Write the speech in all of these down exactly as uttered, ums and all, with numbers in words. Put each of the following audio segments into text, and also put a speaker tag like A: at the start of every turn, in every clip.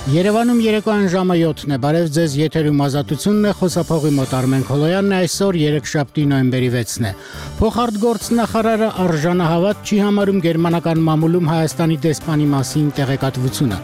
A: Երևանում երեկոյան ժամը յոթն է, բարև ձեզ, եթերում ազատությունն է, խոսափողի մոտ Արմեն Քոլոյանն է, այսօր երեքշաբթի նոյեմբերի վեցն է։ Փոխարտգործնախարարը արժանահավատ չի համարում գերմանական մամուլում Հայաստանի դեսպանի մասին տեղեկատվությունը,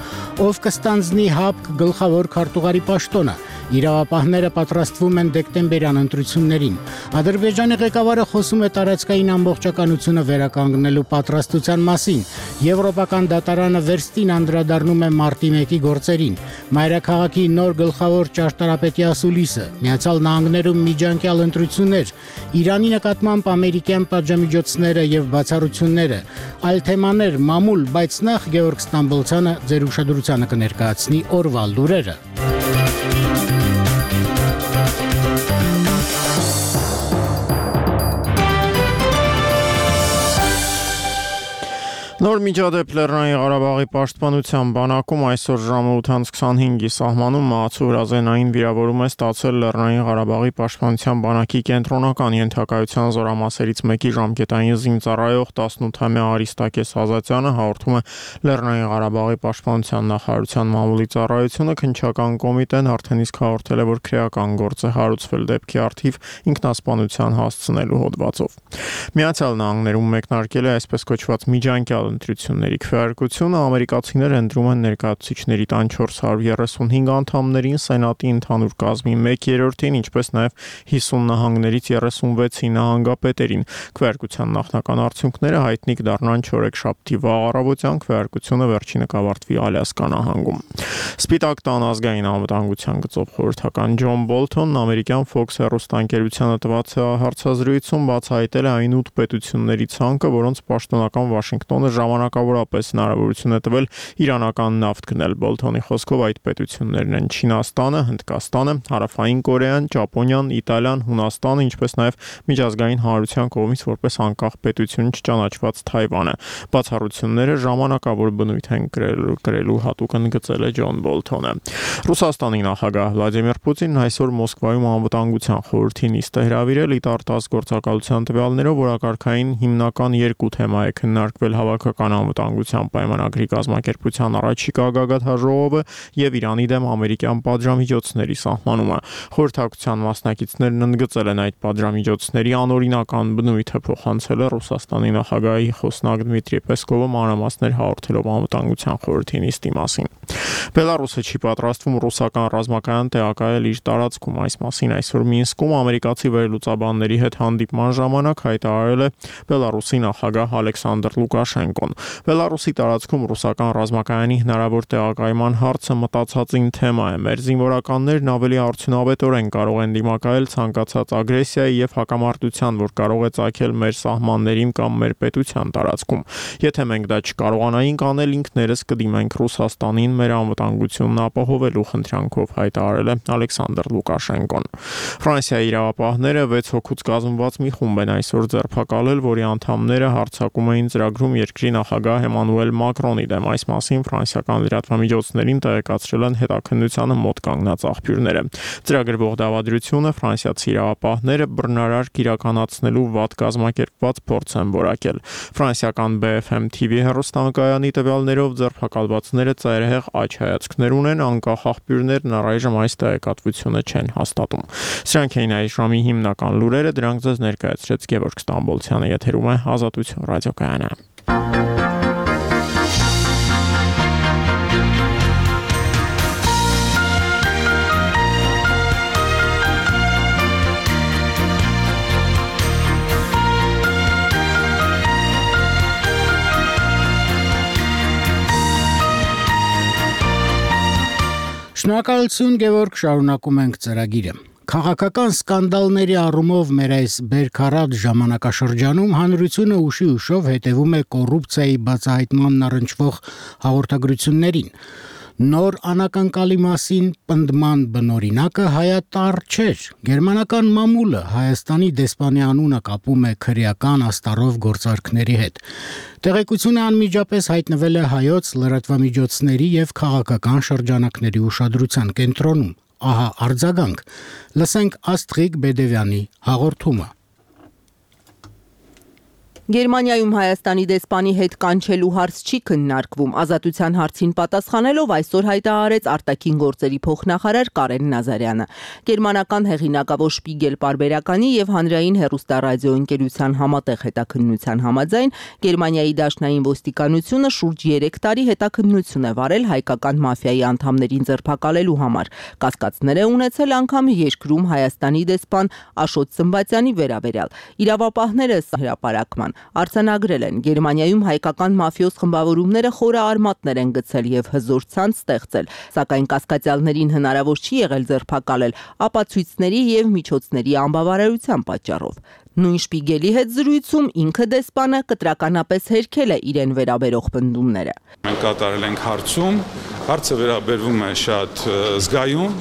A: ով կստանձնի ՀԱՊԿ գլխավոր քարտուղարի պաշտոնը։ Իրավապահները պատրաստվում են դեկտեմբերյան ընտրություններին։ Ադրբեջանի ղեկավարը խոսում է տարածքային ամբողջականությունը վերականգնելու պատրաստության մասին։ Եվրոպական դատարանը վերստին անդրադառնում է մարտի մեկի գործերին։ Մայրաքաղաքի նոր գլխավոր ճարտարապետի ասուլիսը, Միացյալ Նահանգներում միջանկյալ ընտրություններ, Իրանի նկատմամբ ամերիկյան պատժամիջոցները եւ բացառությունները, այլ թեմաներ, մամուլ, բայց նախ Գևորգ Ստամբոլցյանը ձեր ուշադրությանը կներկայացնի օրվա լուրերը։
B: Նոր միջադեպ Լեռնային Ղարաբաղի պաշտպանության բանակում այսօր ժամը ութ քսանհինգի սահմանում մահացու հրազենային վիրավորում է ստացել Լեռնային Ղարաբաղի պաշտպանության բանակի կենտրոնական ենթակայության զորամասերից մեկի ժամկետային զինծառայող տասնութամյա Արիստակես Ազատյանը, հաղորդում է Լեռնային Ղարաբաղի պաշտպանության նախարարության մամուլի ծառայությունը։ Քննչական կոմիտեն արդեն իսկ հաղորդել է, որ քրեական գործ է հարուցվել դեպքի առթիվ ինքնասպանության հասցնելու հոդվածով։ Միացյալ Նահանգներում մեկնարկել է այսպես կոչված միջանկյալ ընտրությունների քվեարկությունը, ամերիկացիները ընտրում են ներկայացուցիչների տան չորս հարյուր երեսունհինգ անդամներին, սենատի ընդհանուր կազմի մեկ երրորդին, ինչպես նաև հիսուն նահանգներից երեսունվեցի նահանգապետերին։ Քվեարկության նախնական արդյունքները հայտնի կդառնան չորեքշաբթի վաղ առավոտյան, քվեարկությունը վերջինը կավարտվի Ալյասկա նահանգում։ Սպիտակ տան ազգային անվտանգության գծով խորհրդական Ջոն Բոլթոնն ամերիկյան Fox հեռուստաընկերությանը տված հարցազրույցում բացահայտել է այն ութ պետությունների ցանկը, որոնց պաշտոնական Վաշինգտոնը ժամանակավորապես հնարավորություն է տվել իրանական նավթ գնել։ Բոլթոնի խոսքով այդ պետություններն են Չինաստանը, Հնդկաստանը, Հարավային Կորեան, Ճապոնիան, Իտալիան, Հունաստանը, ինչպես նաև միջազգային հանրության կողմից որպես անկախ պետություն չճանաչված Թայվանը։ Բացառությունները ժամանակավոր բնույթ են կրելու, կրելու հատուկ ընդգծել է Ջոն Բոլթոնը։ Ռուսաստանի նախագահ Վլադիմիր Պուտինն այսօր Մոսկվայում անվտանգության խորհրդի նիստ է հրավիրել, ի տարտազ գործակալության տվյալներով օրակարգային հիմնական երկու թեմա է քննարկվել հավաքական անվտանգության պայմանագրի կազմակերպության առաջիկա գագաթաժողովը եւ Իրանի դեմ ամերիկյան պատժամիջոցների սահմանումը։ Խորհրդակցության մասնակիցներն ընդգծել են այդ պատժամիջոցների անօրինական բնույթը, փոխանցել է Ռուսաստանի նախագահի խոսնակ Դմիտրի Պեսկովը մանրամասներ հաղորդելով անվտանգության խորհրդի նիստի մասին։ Բելարուսը չի պատրաստվում ռուսական ռազմական տեղակայել իր տարածքում։ Այս մասին այսօր Մինսկում ամերիկացի վերլուծաբանների հետ հանդիպման ժամանակ հայտարարել է Բելարուսի նախագահ Ալեքսանդր Լուկաշենկոն։ Բելարուսի տարածքում ռուսական ռազմակայանի հնարավոր տեղակայման հարցը մտածածին թեմա է։ Մեր զինվորականներն ավելի արդյունավետորեն կարող են դիմակայել ցանկացած ագրեսիայի եւ հակամարտության, որ կարող է ծագել մեր սահմաններին կամ մեր պետության տարածքում։ Եթե մենք դա չկարողանայինք անել, ինքներս կդիմենք Ռուսաստանին մեր անվտանգությունն ապահովելու խնդրանքով, հայտարարել է Ալեքսանդր Լուկաշենկոն։ Ֆրանսիայի իրավապահները վեց հոգուց կազմված մի խումբ են այսօր ձերբակալել, որի անդամները հարձակում էին ծրագրում երկրի նախագահ Էմանուել Մակրոնի դեմ։ Այս մասին ֆրանսիական լրատվամիջոցներին տեղեկացրել են հետաքննությանը մոտ կանգնած աղբյուրները։ Ծրագրվող դավադրությունը ֆրանսիացի իրավապահները բռնարարք իրականացնելու վատ կազմակերպված փորձ են որակել։ Ֆրանսիական B F M T V հեռուստաընկերանի տվյալներով ձերբակալվածները ծայրահեղ աջ հայացքներ ունեն, անկախ աղբյուրներն առայժմ այս տեղեկատվությունը չեն հաստատում։ Սրանք էին այս ժամի հիմնական լուրերը, դրանք ձեզ ներկայացրեց Գևորգ Ստամբոլցյանը, եթերում է Ազատություն ռադիոկայանը։
A: Շնորհակալություն Գևորգ, շարունակում ենք ծրագիրը։ Քաղաքական սկանդալների առումով մեր այս բերքարատ ժամանակաշրջանում հանրությունը ուշի ուշով հետևում է կոռուպցիայի բացահայտմանն առնչվող հաղորդագրություններին։ Նոր անակնկալի մասին պնդման բնօրինակը հայատառ չէր։ Գերմանական մամուլը Հայաստանի դեսպանի անունը կապում է քրեական աստառով գործարքների հետ։ Տեղեկությունը անմիջապես հայտնվել է հայոց լրատվամիջոցների եւ քաղաքական շրջանակների ուշադրության կենտրոնում։ Ահա արձագանք։ Լսենք Աստղիկ Բեդևյանի հաղորդումը։
C: Գերմանիայում Հայաստանի դեսպանի հետ կանչելու հարց չի քննարկվում։ Ազատության հարցին պատասխանելով այսօր հայտարարեց արտաքին գործերի փոխնախարար Կարեն Նազարյանը։ Գերմանական հեղինակավոր Շպիգել պարբերականի եւ հանրային հեռուստառադիոընկերության համատեղ հետաքննության համաձայն Գերմանիայի դաշնային ոստիկանությունը շուրջ երեք տարի հետաքննություն է վարել հայկական մաֆիայի անդամներին ձերբակալելու համար։ Կասկածներ է ունեցել անգամ երկրում Հայաստանի դեսպան Աշոտ Սմբատյանի վերաբերյալ։ Իրավապահները հրապարակման արձանագրել են Գերմանիայում հայկական մաֆիոզ խմբավորումները խորը արմատներ են գցել եւ հզոր ցանց ստեղծել, սակայն կասկածյալներին հնարավոր չի եղել ձերբակալել ապացույցների եւ միջոցների անբավարարության պատճառով։ Նույն Շպիգելի հետ զրույցում ինքը դեսպանը կտրականապես հերքել է իրեն վերաբերող պնդումները։
D: Մենք կատարել ենք հարցում, հարցը վերաբերվում է շատ զգայուն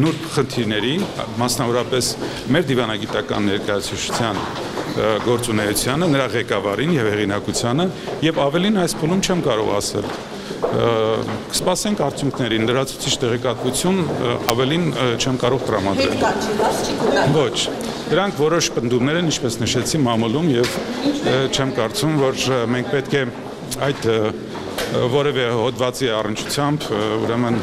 D: նուրբ խնդիրների, մասնավորապես մեր դիվանագիտական ներկայացուցչության գործունեությանը, նրա ղեկավարին եւ հեղինակությանը եւ ավելին այս փուլում չեմ կարող ասել։ Կսպասենք արդյունքներին, լրացուցիչ տեղեկատվություն ավելին չեմ կարող տրամադրել։ Ոչ, դրանք որոշ պնդումներ են, ինչպես նշեցի, մամուլում եւ չեմ կարծում, որ մենք պետք է այդ որևէ հոդվածի առնչությամբ ուրեմն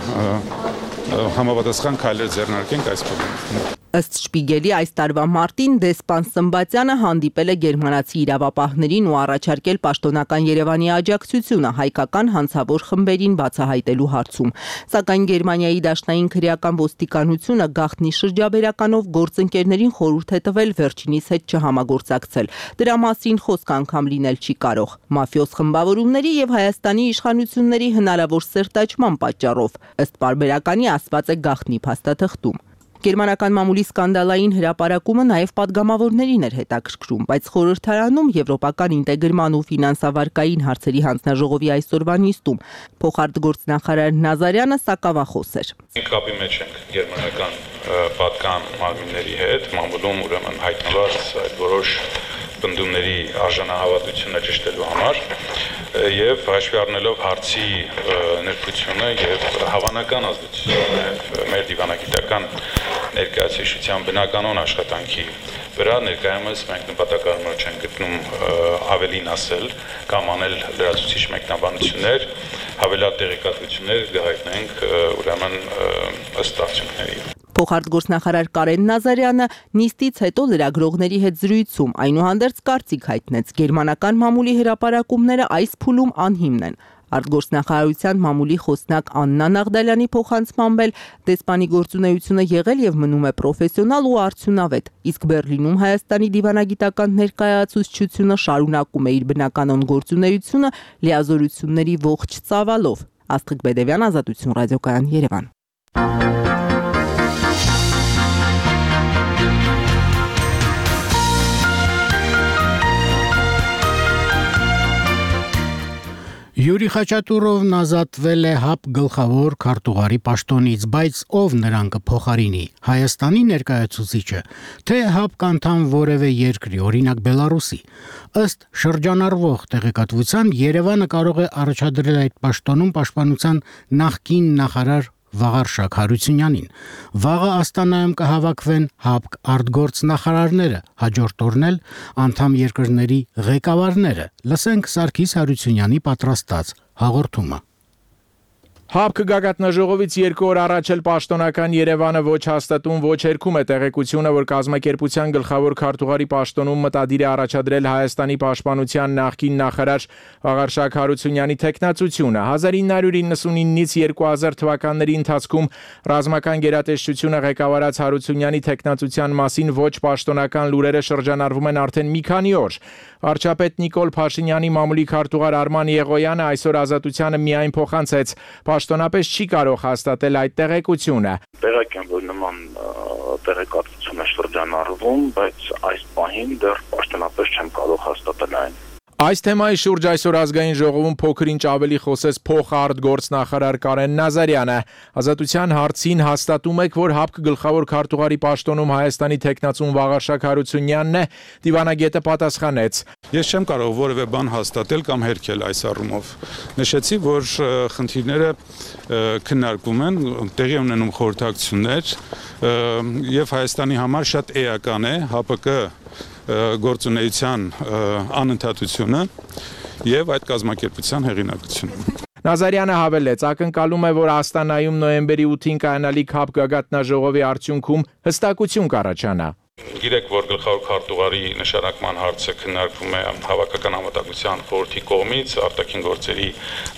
D: համապատասխան քայլեր ձեռնարկենք այս փուլում։
C: Ըստ Շպիգելի այս տարվա մարտին դեսպան Սմբատյանը հանդիպել է գերմանացի իրավապահներին ու առաջարկել պաշտոնական Երևանի աջակցությունը հայկական հանցավոր խմբերին բացահայտելու հարցում։ Սակայն Գերմանիայի դաշնային քրեական ոստիկանությունը գաղտնի շրջաբերականով գործընկերներին խորհուրդ է տվել վերջինիս հետ չհամագործակցել։ Դրա մասին խոսք անգամ լինել չի կարող։ Մաֆիոզ խմբավորումների եւ Հայաստանի իշխանությունների հնարավոր սերտաճման պատճառով, ըստ պարբերականի ասված է գաղտնի փաստաթղթում։ Գերմանական մամուլի սկանդալային հրապարակումը նաև падգամավորներին էր հետաքրքրում, բայց խորհրդարանում եվրոպական ինտեգրման ու ֆինանսավարկային հարցերի հանձնաժողովի այսօրվա նիստում փոխարտգործնախարար Նազարյանը սակավախոս էր։
D: Մենք կապի մեջ ենք գերմանական падգամավորների հետ, մամուլում ուրեմն հայտնված այդ որոշ պնդումների արժանահավատությունը ճշտելու համար եւ հաշվի առնելով հարցի ներկայությունը եւ հավանական ազդեցությունը մեր դիվանագիտական ներկայացուցչության բնականon աշխատանքի վրա ներկայումս մենք նպատակարար չենք գտնում ավելին ասել կամ անել լրացուցիչ մեկնաբանություններ, հավելյալ տեղեկատվություններ կհայտնենք ուրեմն ըստ արդյունքների։
C: Փոխարտգործնախարար Կարեն Նազարյանը նիստից հետո լրագրողների հետ զրույցում այնուհանդերձ կարծիք հայտնեց գերմանական մամուլի հրապարակումները այս փուլում անհիմն են։ Արտգործնախարարության մամուլի խոսնակ Աննա Նաղդալյանի փոխանցմամբ էլ դեսպանի գործունեությունը եղել եւ մնում է պրոֆեսիոնալ ու արդյունավետ, իսկ Բեռլինում Հայաստանի դիվանագիտական ներկայացուցչությունը շարունակում է իր բնականon գործունեությունը լիազորությունների ողջ ծավալով։ Աստղիկ Բեդևյան, Ազատություն ռադիոկայան, Երևան։
A: Յուրի Խաչատուրովն ազատվել է ՀԱՊ գլխավոր քարտուղարի պաշտոնից, բայց ով նրան կփոխարինի՝ Հայաստանի ներկայացուցիչը, թե ՀԱՊ անդամ որևէ երկրի, օրինակ Բելարուսի։ Ըստ շրջանառվող տեղեկատվության Երևանը կարող է առաջադրել այդ պաշտոնում պաշտպանության նախկին նախարար Վաղարշակ Հարությունյանին։ Վաղը Աստանայում կհավաքվեն ՀԱՊ արտգործնախարարները, հաջորդ օրն էլ անդամ երկրների ղեկավարները։ Լսենք Սարգիս Հարությունյանի պատրաստած հաղորդումը։
E: ՀԱՊ գագաթնաժողովից երկու օր առաջ էլ պաշտոնական Երևանը ոչ հաստատում, ոչ հերքում է տեղեկությունը, որ կազմակերպության գլխավոր քարտուղարի պաշտոնում մտադիր է առաջադրել Հայաստանի պաշտպանության նախկին նախարար Վաղարշակ Հարությունյանի թեկնածությունը։ հազար ինը հարյուր իննսունինից երկու հազար թվականների ընթացքում ռազմական գերատեսչությունը ղեկավարած Հարությունյանի թեկնածության մասին ոչ պաշտոնական լուրերը շրջանառվում են արդեն մի քանի օր։ Վարչապետ Նիկոլ Փաշինյանի մամուլի քարտուղար Արման Եղոյանը այսօր Ազատությանը միայն փոխանցեց պաշտոնապես չի կարող հաստատել այդ տեղեկությունը։
F: Տեղեկ եմ, որ նման տեղեկատվություն է շրջանառվում, բայց այս պահին դեռ պաշտոնապես չեմ կարող հաստատել այն։
E: Այս թեմայի շուրջ այսօր ազգային ժողովում փոքր-ինչ ավելի խոսեց փոխարտգործնախարար Կարեն Նազարյանը։ Ազատության հարցին հաստատում եք, որ ՀԱՊ գլխավոր քարտուղարի պաշտոնում Հայաստանի թեկնածուն Վաղարշակ Հարությունյանն է, դիվանագետը պատասխանեց։
D: Ես չեմ կարող որևէ բան հաստատել կամ հերքել այս առումով։ Նշեցի, որ խնդիրները քննարկվում են, տեղի ունենում խորհրդակցություններ եւ Հայաստանի համար շատ էական է ՀԱՊԿ գործունեության անընդհատությունը եւ այդ կազմակերպության հեղինակությունը։
E: Նազարյանը հավելեց, ակնկալում է, որ Աստանայում նոյեմբերի ութին կայանալի ՔԱՊ գագաթնաժողովի արդյունքում հստակություն կառաջանա։
D: Գիտեք, որ գլխավոր քարտուղարի նշանակման հարցը քննարկվում է Հավաքական անվտանգության խորհրդի կողմից, արտաքին գործերի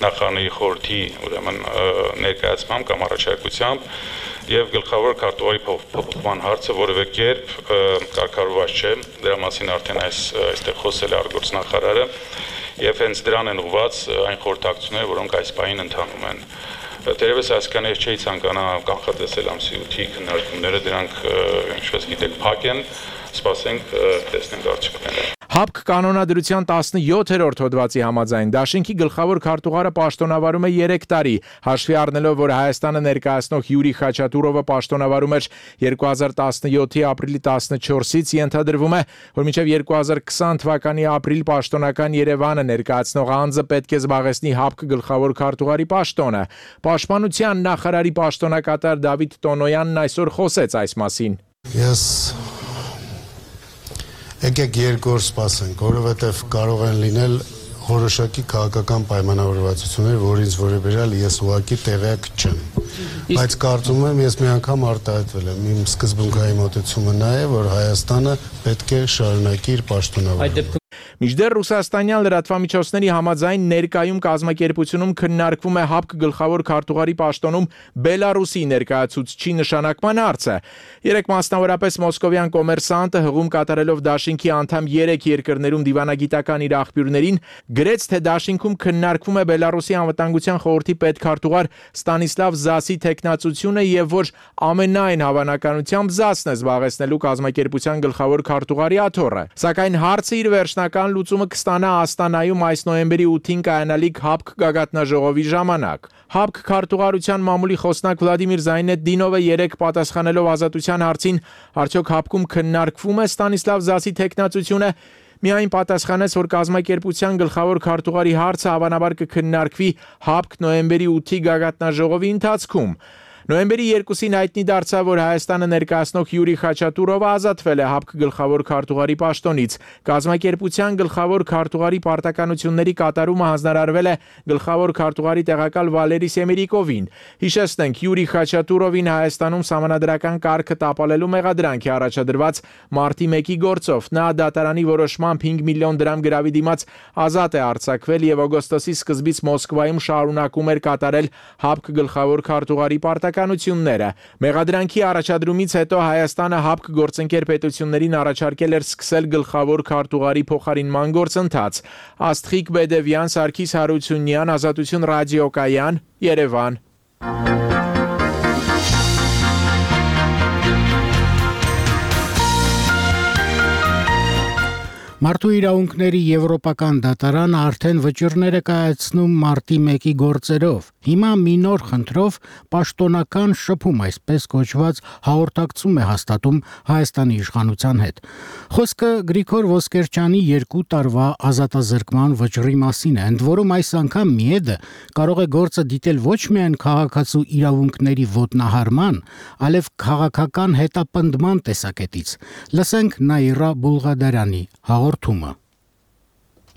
D: նախարարների խորհրդի ուրեմն ներկայացմամբ կամ առաջարկությամբ, եւ գլխավոր քարտուղարի փոփոխման հարցը որևէ կերպ կարգավորված չէ, դրա մասին արդեն այս այստեղ խոսել է արտգործնախարարը, եւ հենց դրան են ուղղված այն խորհրդակցությունները, որոնք այս պահին ընթանում են։ Տերևս այսքան ես չէի ցանկանա կանխատեսել ամսի ութի քննարկումները, դրանք ինչպես գիտեք փակ են, սպասենք տեսնենք արդյունքները։
E: ՀԱՊԿ կանոնադրության տասնյոթերորդ հոդվածի համաձայն դաշինքի գլխավոր քարտուղարը պաշտոնավարում է երեք տարի, հաշվի առնելով, որ Հայաստանը ներկայացնող Յուրի Խաչատուրովը պաշտոնավարում էր երկու հազար տասնյոթի ապրիլի տասնչորսից, ենթադրվում է, որ մինչև երկու հազար քսան թվականի ապրիլ պաշտոնական Երևանը ներկայացնող անձը պետք է զբաղեցնի ՀԱՊԿ գլխավոր քարտուղարի պաշտոնը։ Պաշտպանության նախարարի պաշտոնակատար Դավիթ Տոնոյանն այսօր խոսեց այս մասին։
G: Ես Եկեք երկու օր սպասենք, որովհետև կարող են լինել որոշակի քաղաքական պայմանավորվածություններ, որից որևէ ես ուղղակի տեղյակ չեմ։ Բայց կարծում եմ, ես մի անգամ արտահայտվել եմ, իմ սկզբունքային մոտեցումը նա է, որ Հայաստանը պետք է շարունակի իր պաշտոնավարությունը։
E: Մինչդեռ ռուսաստանյան լրատվամիջոցների համաձայն ներկայում կազմակերպությունում քննարկվում է ՀԱՊԿ գլխավոր քարտուղարի պաշտոնում Բելարուսի ներկայացուցչի նշանակման հարցը։ Երեք մասնավորապես մոսկովյան կոմերսանտը հղում կատարելով դաշինքի անդամ երեք երկրներում դիվանագիտական իր աղբյուրներին գրեց, թե դաշինքում քննարկվում է Բելարուսի անվտանգության խորհրդի պետքարտուղար Ստանիսլավ Զասի թեկնածությունը եւ որ ամենայն հավանականությամբ Զասն է զբաղեցնելու կազմակերպության գլխավոր քարտուղարի աթոռը։ Սակայն հարցը իր վերջնական լուծումը կստանա Աստանայում այս նոյեմբերի ութին կայանալիք ՀԱՊԿ գագաթնաժողովի ժամանակ։ ՀԱՊԿ քարտուղարության մամուլի խոսնակ Վլադիմիր Զայնեթդինովը երեք պատասխանելով ազատության հարցին, արդյոք ՀԱՊԿ-ում քննարկվում է Ստանիսլավ Զասի թեկնածությունը, միայն պատասխանեց, որ կազմակերպության գլխավոր քարտուղարի հարցը հավանաբար կքննարկվի ՀԱՊԿ նոյեմբերի ութի գագաթնաժողովի ընթացքում։ Նոյեմբերի երկուսին հայտնի դարձավ, որ Հայաստանը ներկայացնող Յուրի Խաչատուրովը ազատվել է ՀԱՊԿ գլխավոր քարտուղարի պաշտոնից։ Կազմակերպության գլխավոր քարտուղարի պարտականությունների կատարումը հանձնարարվել է գլխավոր քարտուղարի տեղակալ Վալերի Սեմերիկովին։ Հիշեցնենք, Յուրի Խաչատուրովին Հայաստանում սահմանադրական կարգը տապալելու մեղադրանք է առաջադրված մարտի մեկի գործով։ Նա դատարանի որոշմամբ հինգ միլիոն դրամ գրավի դիմաց ազատ է արձակվել եւ օգոստոսի սկզբից Մոսկվայում շարունակում էր կատարել ՀԱՊԿ գլխավոր քարտուղարի պարտականությունները։ Մեղադրանքի առաջադրումից հետո Հայաստանը ՀԱՊԿ գործընկեր պետություններին առաջարկել էր սկսել գլխավոր քարտուղարի փոխարինման գործընթաց։ Աստղիկ Բեդևյան, Սարգիս Հարությունյան, Ազատություն ռադիոկայան, Երևան։
A: Մարդու իրավունքների եվրոպական դատարանը արդեն վճիռներ է կայացնում մարտի մեկի գործերով։ Հիմա մի նոր խնդրով պաշտոնական շփում, այսպես կոչված հաղորդակցում է հաստատում Հայաստանի իշխանության հետ։ Խոսքը Գրիգոր Ոսկերչյանի երկու տարվա ազատազրկման վճռի մասին է, ընդ որում այս անգամ Միեդը կարող է գործը դիտել ոչ միայն քաղաքացու իրավունքների ոտնահարման, այլև քաղաքական հետապնդման տեսակետից։ Լսենք Նաիրա Բուլղադարյանի հաղորդումը։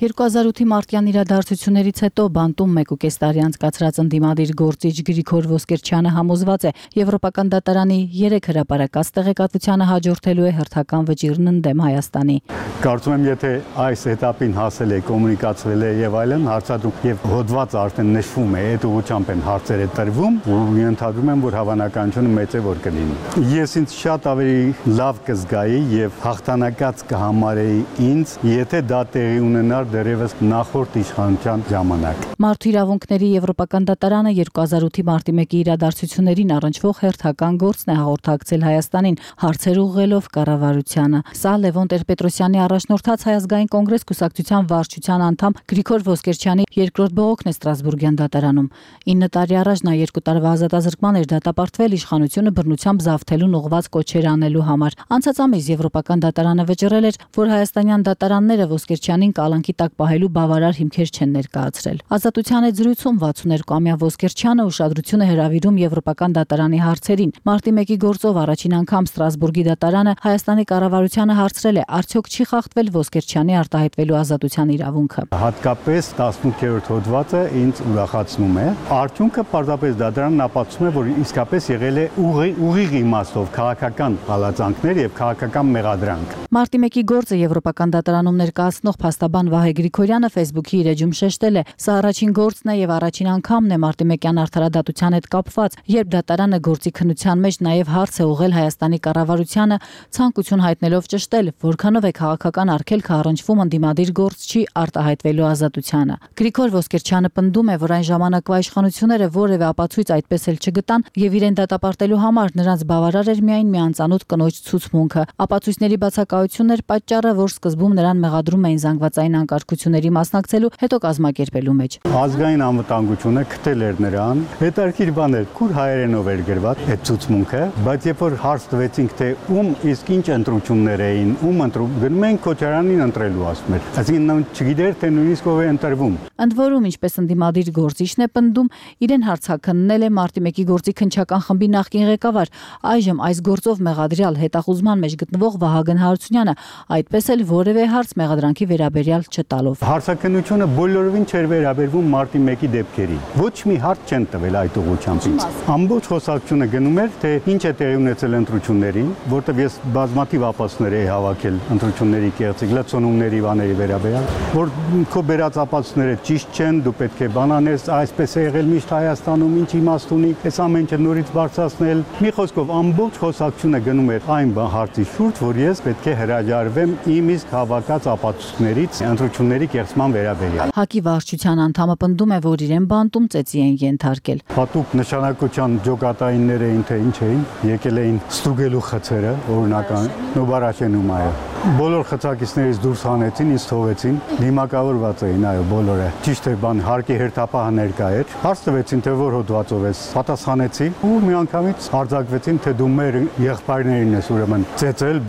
H: երկու հազար ութի մարտյան իրադարձություններից հետո բանտում մեկուկես տարի անցկացրած ընդդիմադիր գործիչ Գրիգոր Ոսկերչյանը համոզված է, Եվրոպական դատարանի երեք հրապարակած տեղեկատվությանը հաջորդելու է հերթական վճիռն ընդդեմ Հայաստանի։
I: Կարծում եմ, եթե այս этаպին հասել է, կոմունիկացվել է եւ այլն, հարցադրում եւ հոդված արդեն նշվում է, այդ ուղղությամբ են հարցերը տրվում, ու ենթադրում եմ, որ հավանականությունը մեծ է, որ կլինի։ Ես ինձ շատ ավելի լավ կզգայի եւ հաղթանակած կհամարեի ինձ, եթե դա տեղի ունենար դեռևս նախորդ իշխանության ժամանակ։
H: Մարդու իրավունքների Եվրոպական դատարանը երկու հազար ութի մարտի մեկի իրադարձություններին առնչվող հերթական գործն է հաղորդակցել Հայաստանին, հարցեր ուղղելով կառավարությանը։ Սա Լևոն Տեր-Պետրոսյանի առաջնորդած Հայ ազգային կոնգրես կուսակցության վարչության անդամ Գրիգոր Ոսկերչյանի երկրորդ բողոքն է Ստրասբուրգյան դատարանում։ ինը տարի առաջ նա երկու տարվա ազատազրկման էր դատապարտվել իշխանությունը բռնությամբ զավթելուն ուղղված կոչեր անելու համար։ Անցած ամիս Եվրոպական դատարանը վճռել էր, որ հայաստանյան դատարանները Ոսկերչյանին կալանքի կարգի տակ պահելու բավարար հիմքեր չեն ներկայացրել։ Ազատության այդ զրույցում վաթսունհինգամյա Ոսկերչյանը ուշադրություն է հրավիրում Եվրոպական դատարանի հարցերին։ Մարտի մեկի գործով առաջին անգամ Ստրասբուրգի դատարանը Հայաստանի կառավարությանը հարցրել է, արդյոք չի խախտվել Ոսկերչյանի արտահայտվելու ազատության իրավունքը։
I: Հատկապես տասնութերորդ հոդվածը ինձ ուրախացնում է։ Արդյունքը պարզապես դատարանն ապացուցում է, որ իսկապես եղել է ուղիղ իմաստով քաղաքական հալածանքներ եւ քաղաքական մեղադրանք։
H: Մարտի մեկի գործը Եվրոպական դատարանում ներկայացնող փաստաբան Վահե Գրիգորյանը Facebook-ի իր էջում շեշտել է. «Սա առաջին գործն է եւ առաջին անգամն է մարտի մեկյան արդարադատության հետ կապված, երբ դատարանը գործի քննության մեջ նաեւ հարց է ուղղել Հայաստանի կառավարությանը, ցանկություն հայտնելով ճշտել, որքանով է քաղաքական արգելքը առնչվում ընդդիմադիր գործչի արտահայտվելու ազատությանը»։ Գրիգոր Ոսկերչյանը պնդում է, որ այն ժամանակվա իշխանությունները որևէ ապացույց այդպես էլ չգտան եւ իրեն դատապարտելու համար նրանց բավարար էր միայն մի անծանոթ կնոջ ցուցմունքը։ Ապացույցների բացակայությունն էր պատճառը, որ սկզբում նրան մեղադրում էին զանգվածային անկարգությունների մասնակցելու, հետո կազմակերպելու մեջ։
I: Ազգային անվտանգությունը քթել էր նրան, հետարքիր բան էր, քուր հայերենով էր գրված այդ ցուցմունքը, բայց երբ որ հարց տվեցինք, թե ում իսկ ինչ ընտրություններ էին, ում ընտրում, գնում են Քոչարյանին ընտրելու ասում էր։ Այսինքն չգիտեր, թե նույնիսկ ով է ընտրվում։
H: Ընդ որում, ինչպես ընդդիմադիր գործիչն է պնդում, իրեն հարցաքննել է մարտի մեկի գործի քննչական խմբի նախկին ղեկավար, այժմ այս գործով մեղադրյալ հետախուզման մեջ գտնվող Վահագն Հարությունյանը, այդպես էլ որևէ հարց մեղադրանքի վերաբերյալ չտալով։
I: Հարցաքննությունը բոլորովին չէր վերաբերվում մարտի մեկի դեպքերին։ Ոչ մի հարց չեն տվել այդ ուղղությամբ։ Ամբողջ խոսակցությունը գնում էր, թե ինչ է տեղի ունեցել ընտրություններին, որտեղ ես բազմաթիվ ապացույցներ էի հավաքել ընտրությունների կեղծիք լցոնումների բաների վերաբերյալ, որ քո բերած ապացույցները ճիշտ չեն, դու պետք է բանանես, այսպես է եղել միշտ Հայաստանում, ինչ իմաստ ունի, այս ամենը նորից բարձրացնել։ Մի խոսքով ամբողջ խոսակցությունը գնում էր այն հարցի շուրջ, որ ես պետք է հրաժարվեմ իմ իսկ հավաքած ապացույցներից ընտրությունների կեղծման վերաբերյալ։
H: ՀԱԿ-ի վարչության անդամը պնդում է, որ իրեն բանտում ծեծի են ենթարկել։
I: Հատուկ նշանակության ջոկատայիններ էին, թե ինչ էին, եկել էին ստուգելու խցերը, օրինական նոբարաշենում այո։ Բոլոր խցակիցներից դուրս հանեցին, ինձ թողեցին, դիմակավորված էին այո բոլորը։ Ճիշտ է, բան հարկի հերթապահը ներկա էր։ Հարց տվեցին, թե որ հոդվածով ես, պատասխանեցի ու միանգամից արձակվեցին, թե դու մեր եղբայրներին ես ուրեմն ծեծել,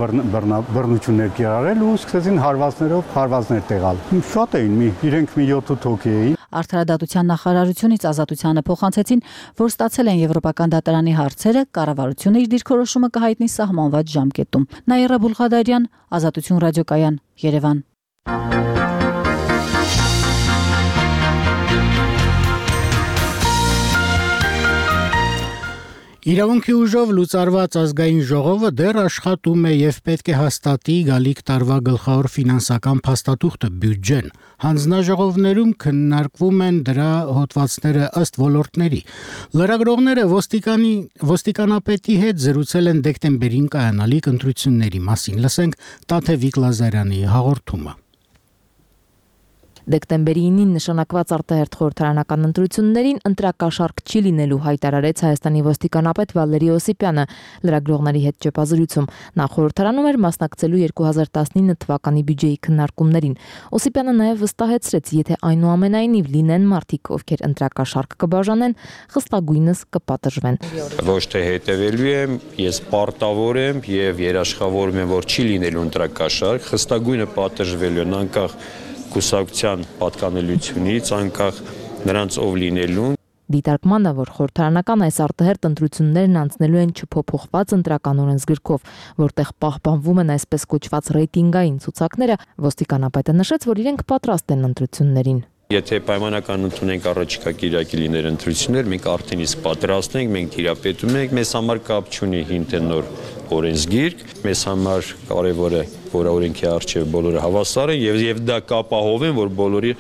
I: բռնություններ կիրառել ու սկսեցին հարվածներով հարվածներ տեղալ։ Շատ էին, մի իրենք մի յոթ հոգի էին։
H: Արդարադատության նախարարությունից ազատությանը փոխանցեցին, որ ստացել են Եվրոպական դատարանի հարցերը, կառավարությունը իր դիրքորոշումը կհայտնի սահմանված ժամկետում։ Նաիրա Բուլղադարյան, Ազատություն ռադիոկայան, Երևան։
A: Իրավունքի ուժով լուծարված ազգային ժողովը դեռ աշխատում է եւ պետք է հաստատի գալիք տարվա գլխավոր ֆինանսական փաստաթուղթը բյուջեն։ Հանձնաժողովներում քննարկվում են դրա հոդվածները ըստ ոլորտների։ Լրագրողները ոստիկանի ոստիկանապետի հետ զրուցել են դեկտեմբերին կայանալիք ընտրությունների մասին։ Լսենք Տաթևիկ Լազարյանի հաղորդումը։
J: Դեկտեմբերի ինին նշանակված արտահերթ խորհրդարանական ընտրություններին ընտրակաշառք չի լինելու հայտարարեց Հայաստանի ոստիկանապետ Վալերի Օսիպյանը լրագրողների հետ ճեպազրույցում։ Նա խորհրդարանում էր մասնակցելու երկու հազար տասնինը թվականի բյուջեի քննարկումներին։ Օսիպյանը նաև վստահեցրեց, եթե այնուամենայնիվ լինեն մարդիկ, ովքեր ընտրակաշառք կբաժանեն, խստագույնս կպատժվեն։
K: Ոչ թե հետևելու եմ, ես պարտավոր եմ եւ երաշխավորում եմ, որ չի լինելու ընտրակաշառք, խստագույնը պատժվելու են անկախ կուսակցության պատկանելությունից, անկախ նրանց ով լինելուն։
J: Դիտարկմանը, որ խորհրդարանական այս արտահերթ ընտրություններն անցնելու են չփոփոխված ընտրական օրենսգրքով, որտեղ պահպանվում են այսպես կոչված ռեյտինգային ցուցակները, ոստիկանապետը նշեց, որ իրենք պատրաստ են ընտրություններին։
K: Եթե պայմանական ընդունենք առաջիկա կիրակի լիներ ընտրություններ, մենք արդեն իսկ պատրաստ ենք, մենք տիրապետում ենք, մեզ համար կապ չունի հին թե նոր օրենսգիրք, մեզ համար կարևոր է, որ օրենքի առջև բոլորը հավասար են եւ եւ դա կապահովեն, որ բոլորի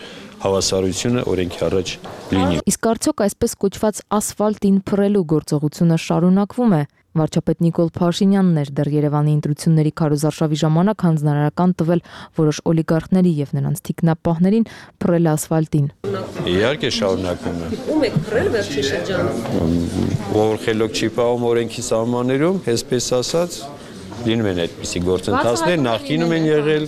K: հավասարությունը օրենքի առաջ լինի։
J: Իսկ արդյոք այսպես կոչված ասֆալտին փռելու գործողությունը շարունակվում է։ Վարչապետ Նիկոլ Փաշինյանն էր դեռ Երևանի ընտրությունների քարոզարշավի ժամանակ հանձնարարական տվել որոշ օլիգարխների եւ նրանց թիկնապահներին փռել ասֆալտին։
K: Իհարկե շարունակվում է։
J: Ում եք փռել վերջին շրջանում։
K: Որ խելոք չի պահում օրենքի սահմաններում, այսպես ասած, լինում են այդպիսի գործընթացներ, նախկինում են եղել,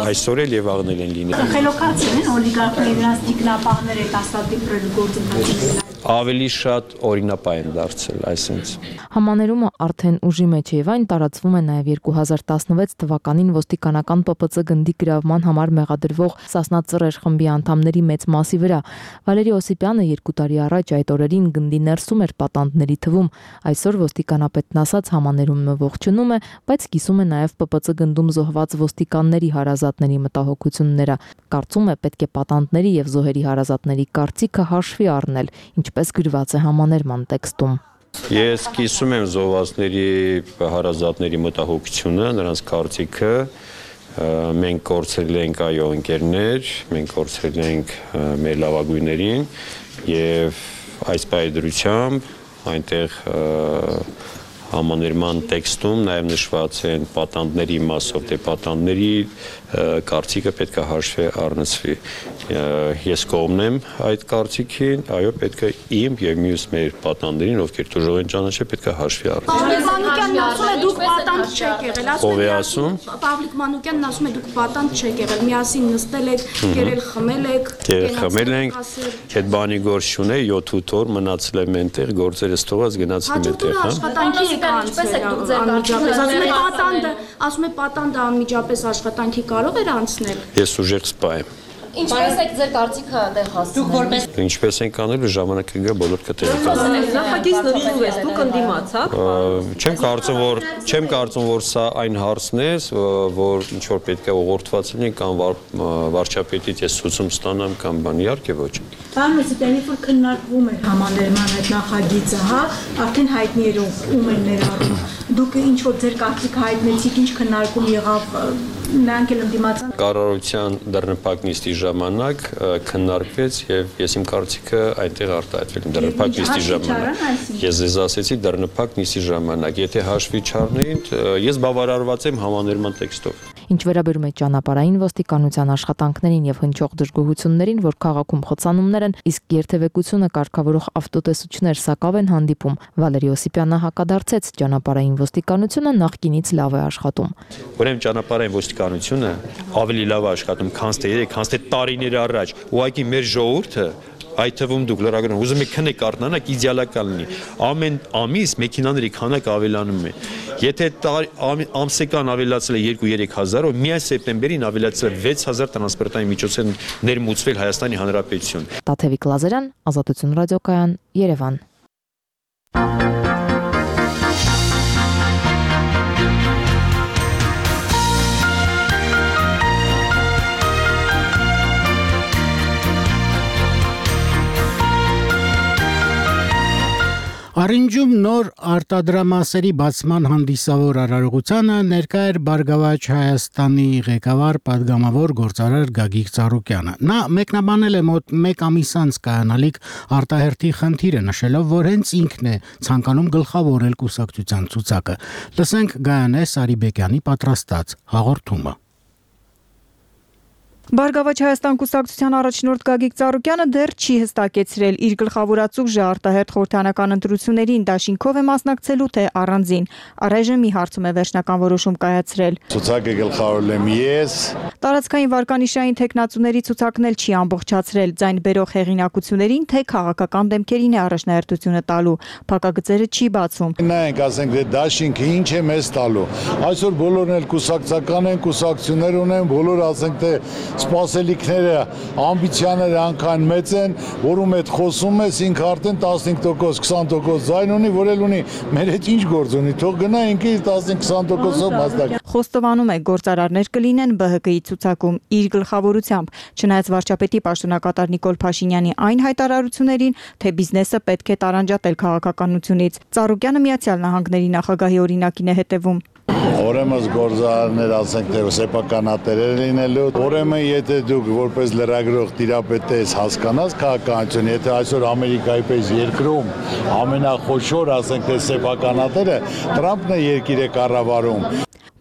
K: այսօր էլ եւ աղնել են լինել։
L: Խելոքացին են օլիգարխների նրանց թիկնապահները այդ ասֆալտի փռելու գործընթացը։
K: ավելի շատ օրինապահ են դարձել այսինքն։
J: Համաներումը արդեն ուժի մեջ է եւ այն տարածվում է նաեւ երկու հազար տասնվեց թվականին ոստիկանական Պ Պ Ծ գնդի գրավման համար մեղադրվող Սասնա Ծռեր խմբի անդամների մեծ մասի վրա։ Վալերի Օսիպյանը երկու տարի առաջ այդ օրերին գնդի ներսում էր պատանդների թվում։ Այսօր ոստիկանապետն ասաց համաներումը ողջունում է, բայց կիսում է նաեւ Պ Պ Ծ գնդում զոհված ոստիկանների հարազատների մտահոգությունները։ Կարծում է պետք է պատանդների եւ զոհերի հարազատների կարծիքը հաշվի առնել, ինչպես գրված է համաներման տեքստում։
K: Ես կիսում եմ զոհվածների հարազատների մտահոգությունը, նրանց կարծիքը, մենք կորցրել ենք այո ընկերներ, մենք կորցրել ենք մեր լավագույններին եւ այս պայդրությամբ այնտեղ համաներման տեքստում նաև նշված են պատանդների մասով, դե պատանդների կարծիքը պետք է հաշվի առնվի։ Ես կողմն եմ այդ կարծիքին, այո, պետք է իմ եւ մյուս մեր պատանդներին, ովքեր դժոխ են ճանաչել, պետք է հաշվի առնել։
L: Մանուկյանն ասում է դուք պատանդ չեք եղել,
K: ասում է ասում։
L: Պավլիկ Մանուկյանն ասում է դուք պատանդ չեք եղել, միասին նստել եք, կերել խմել եք,
K: կերել խմել ենք, այդ բանի գործ չունե, յոթ օր մնացել եմ այնտեղ, գործերը ստողած գնացել եմ այնտեղ, հա։
L: Աշխատանքի ինչպես եք դուք ձեր կարծիքը։ Պատանդը, ասում է պատանդը անմիջապես աշխատանքի կարող էր անցնել։
K: Ես ուժեղ սպա եմ։
M: Ինչպես եք ձեր կարծիքը այնտեղ հասցնել։
K: Ինչպես ենք անելու ժամանակը գա բոլոր կտեղի։
M: Նախագիծ նվիրում ես, դուք ընդդիմացաք։
K: Չեմ կարծում, որ չեմ կարծում, որ սա այն հարցն է, որ ինչ որ պետք է ուղղորդված լինի կամ վարչապետից ես ցուցում ստանամ կամ բան, իհարկե ոչ։
L: Բան մսիտենի որ քննարկվում էր համաներման այդ նախագիծը, հա, արդեն հայտնի էր ում են ներառում։ Դուք ինչ որ ձեր կարծիքը հայտնեցիք, ինչ քննարկում եղավ, նրանք էլ ընդդիմացան։
K: Կառավարության դռնապակ նիստի ժամանակ քննարկվեց եւ ես իմ կարծիքը այնտեղ արտահայտվել եմ դռնապակ նիստի ժամանակ։ Ես ձեզ ասեցի դռնապակ նիստի ժամանակ, եթե հաշվի չառնեին, ես բավարարված եմ համաներման տեքստով։
J: Ինչ վերաբերում է ճանապարհային ոստիկանության աշխատանքներին եւ հնչող դժգոհություններին, որ քաղաքում խոցանումներ են, իսկ երթևեկությունը կարգավորող ավտոտեսուչներ սակավ են հանդիպում, Վալերի Օսիպյանը հակադարձեց, ճանապարհային ոստիկանությունը նախկինից լավ է աշխատում։
K: Ուրեմն ճանապարհային ոստիկանությունը ավելի լավ է աշխատում, քան թե երեք, քան թե տարիներ առաջ։ Ուղղակի մեր ժողովուրդը այդ թվում դուք լրագրողներ ուզում եք քնեք արտանանք իդեալական լինի։ Ամեն ամիս մեքենաների քանակը ավելանում է։ Եթե ամսական ավելացել է երկու-երեք հազար, միայն սեպտեմբերին ավելացել է վեց հազար տրանսպորտային միջոց են ներմուծվել Հայաստանի Հանրապետություն։
J: Տաթևիկ Լազարյան, Ազատություն ռադիոկայան, Երևան։
A: Արինջում նոր արտադրամասերի բացման հանդիսավոր արարողությանը ներկա էր Բարգավաճ Հայաստանի ղեկավար падգամավոր գործարար Գագիկ Ծառուկյանը։ Նա մեկնաբանել է մոտ մեկ ամիս անց կայանալիք արտահերթի խնդիրը, նշելով, որ հենց ինքն է ցանկանում գլխավորել կուսակցության ցուցակը։ Լսենք Գայանե Սարիբեկյանի պատրաստած հաղորդումը։
N: Բարգավաճ Հայաստան կուսակցության առաջնորդ Գագիկ Ծառուկյանը դեռ չի հստակեցրել իր գլխավորածուժը արտահերթ խորհրդարանական ընտրություններին դաշինքով է մասնակցելու թե առանձին։ Առայժմ մի հարցում է վերջնական որոշում կայացրել։
O: Ցուցակը գլխավորել եմ ես։
N: Տարածքային վարկանիշային տեխնացուների ցուցակն էլ չի ամբողջացրել, ձայն բերող հեղինակություններին թե քաղաքական դեմքերին է առաջնահերթությունը տալու։ Փակագծերը չի բացում։
O: Նայենք, ասենք, դե դաշինքը ինչ է մեզ տալու։ Այսօր բոլորն էլ կուսակցական են, կուսակցություններ ունեն, բոլորը ասենք թե սպասելիքները, ամբիցիաները անկան մեծ են, որում հետ խոսում ես, ինքը արդեն տասնհինգ տոկոս, քսան տոկոս ձայն ունի, որ էլ ունի, մեր հետ ինչ գործ ունի, թող գնա ինքը տասնհինգ քսան տոկոսով մասնակցի։
N: Խոստովանում է գործարարներ կլինեն Բ Հ Կ-ի ցուցակում իր գլխավորությամբ, չնայած վարչապետի պաշտոնակատար Նիկոլ Փաշինյանի այն հայտարարություններին, թե բիզնեսը պետք է տարանջատել քաղաքականությունից։ Ծառուկյանը Միացյալ Նահանգների նախագահի օրինակին է հետևում։
O: Ուրեմն գործարարներ ասենք թե սեփականատերեր լինելու, ուրեմն եթե դուք որպես լրագրող տիրապետ ես հասկանաս քաղաքականություն, եթե այսօր Ամերիկայի պես երկրում ամենախոշոր ասենք թե սեփականատերը Տրամփն է երկիրը կառավարում։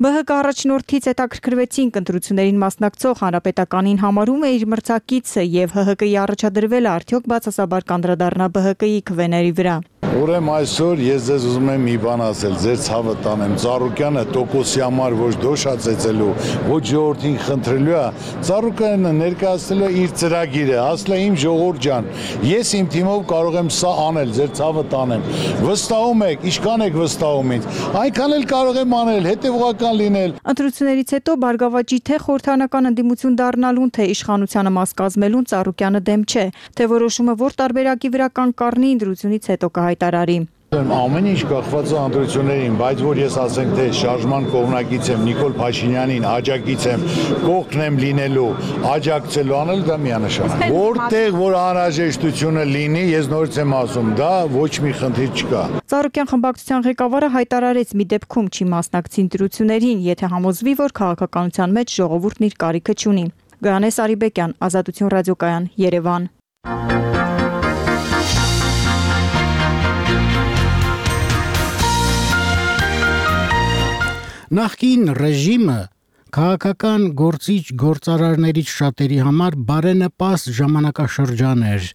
N: Բ Հ Կ առաջնորդից հետաքրքրվեցինք ընտրություններին մասնակցող հանրապետականին համարում է իր մրցակիցը եւ Հ Հ Կ-ի առաջադրվելը արդյոք բացասաբար կանդրադառնա Բ Հ Կ-ի քվեների վրա։
O: Ուրեմն այսօր ես ձեզ ուզում եմ մի բան ասել, ձեր ցավը տանեմ, Ծառուկյանը տոկոսի համար ոչ դոշա ծեծելու, ոչ ժողովրդին խնդրելու է, Ծառուկյանը ներկայացնելու է իր ծրագիրը, ասել է իմ ժողովուրդ ջան, ես իմ թիմով կարող եմ սա անել, ձեր ցավը տանեմ։ Վստահում եք, ինչքան եք վստահում ինձ, այնքան էլ կարող եմ անել, հետևողական լինել։
N: Ընտրություններից հետո Բարգավաճի թե խորհրդանական ընդդիմություն դառնալուն, թե իշխանությանը մաս կազմելուն Ծառուկյանը դեմ չէ, թե որոշումը որ տարբերակի վրա կան կառնի ընտրությունից հետո կհայտարարի։
O: Ամեն ինչ կախված է ընտրություններին, բայց որ ես ասենք թե շարժման կողմնակից եմ, Նիկոլ Փաշինյանին աջակից եմ, կողքն եմ լինելու, աջակցելու անել դա միանշանակ։ Որտեղ որ անհրաժեշտությունը լինի, ես նորից եմ ասում, դա ոչ մի խնդիր չկա։
N: Ծառուկյան խմբակցության ղեկավարը հայտարարեց մի դեպքում չի մասնակցի ընտրություններին, եթե համոզվի, որ քաղաքականության մեջ ժողովուրդն իր կարիքը չունի։ Գայանե Սարիբեկյան, Ազատություն ռադիոկայան, Երևան։
A: Նախկին ռեժիմը քաղաքական գործիչ գործարարներից շատերի համար բարենպաստ ժամանակաշրջան էր,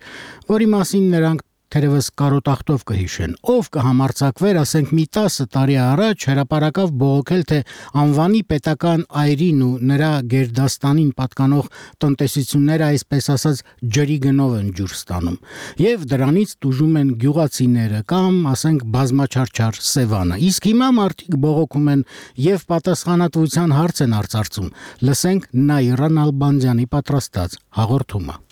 A: որի մասին նրանք թերևս կարոտախտով կհիշեն, ով կհամարձակվեր, ասենք մի տասը տարի առաջ հրապարակավ բողոքել, թե անվանի պետական այրին ու նրա գերդաստանին պատկանող տնտեսությունները այսպես ասած ջրի գնով են ջուր ստանում, եւ դրանից տուժում են գյուղացիները կամ, ասենք, բազմաչարչար Սևանը։ Իսկ հիմա մարդիկ բողոքում են եւ պատասխանատվության հարց են արծարծում։ Լսենք Նաիրա Նալբանդյանի պատրաստած հաղորդումը։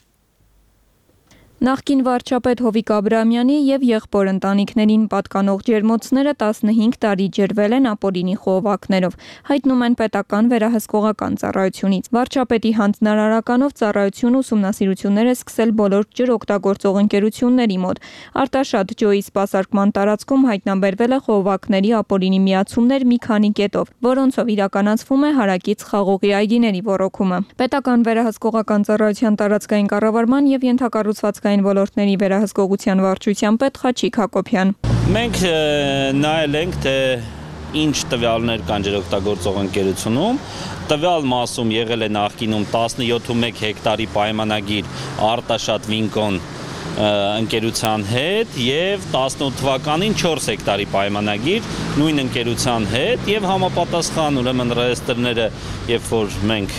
P: Նախկին վարչապետ Հովիկ Աբրահամյանի եւ եղբոր ընտանիքներին պատկանող ջերմոցները տասնհինգ տարի ջրվել են ապօրինի խողովակներով, հայտնում են պետական վերահսկողական ծառայությունից։ Վարչապետի հանձնարարականով ծառայությունը ուսումնասիրություններ է սկսել բոլոր ջրօգտագործող ընկերությունների մոտ։ Արտաշատ ջոյի սպասարկման տարածքում հայտնաբերվել է խողովակների ապօրինի միացումներ մի քանի կետով, որոնցով իրականացվում է հարակից խաղողի այգիների ոռոգումը։ Պետական վերահսկողական ծառայության տարածքային կառավարման եւ ենթակառուցվածքային ոլորտների վերահսկողության վարչության պետ Խաչիկ Հակոբյան։
Q: Մենք նայել ենք, թե ինչ տվյալներ կան ջրօգտագործող ընկերությունում, տվյալ մասում եղել է նախկինում տասնյոթ հեկտարի պայմանագիր Արտաշատ Վինկոն ընկերության հետ եւ տասնութ թվականին չորս հեկտարի պայմանագիր նույն ընկերության հետ եւ համապատասխան ուրեմն ռեեստրները, երբ որ մենք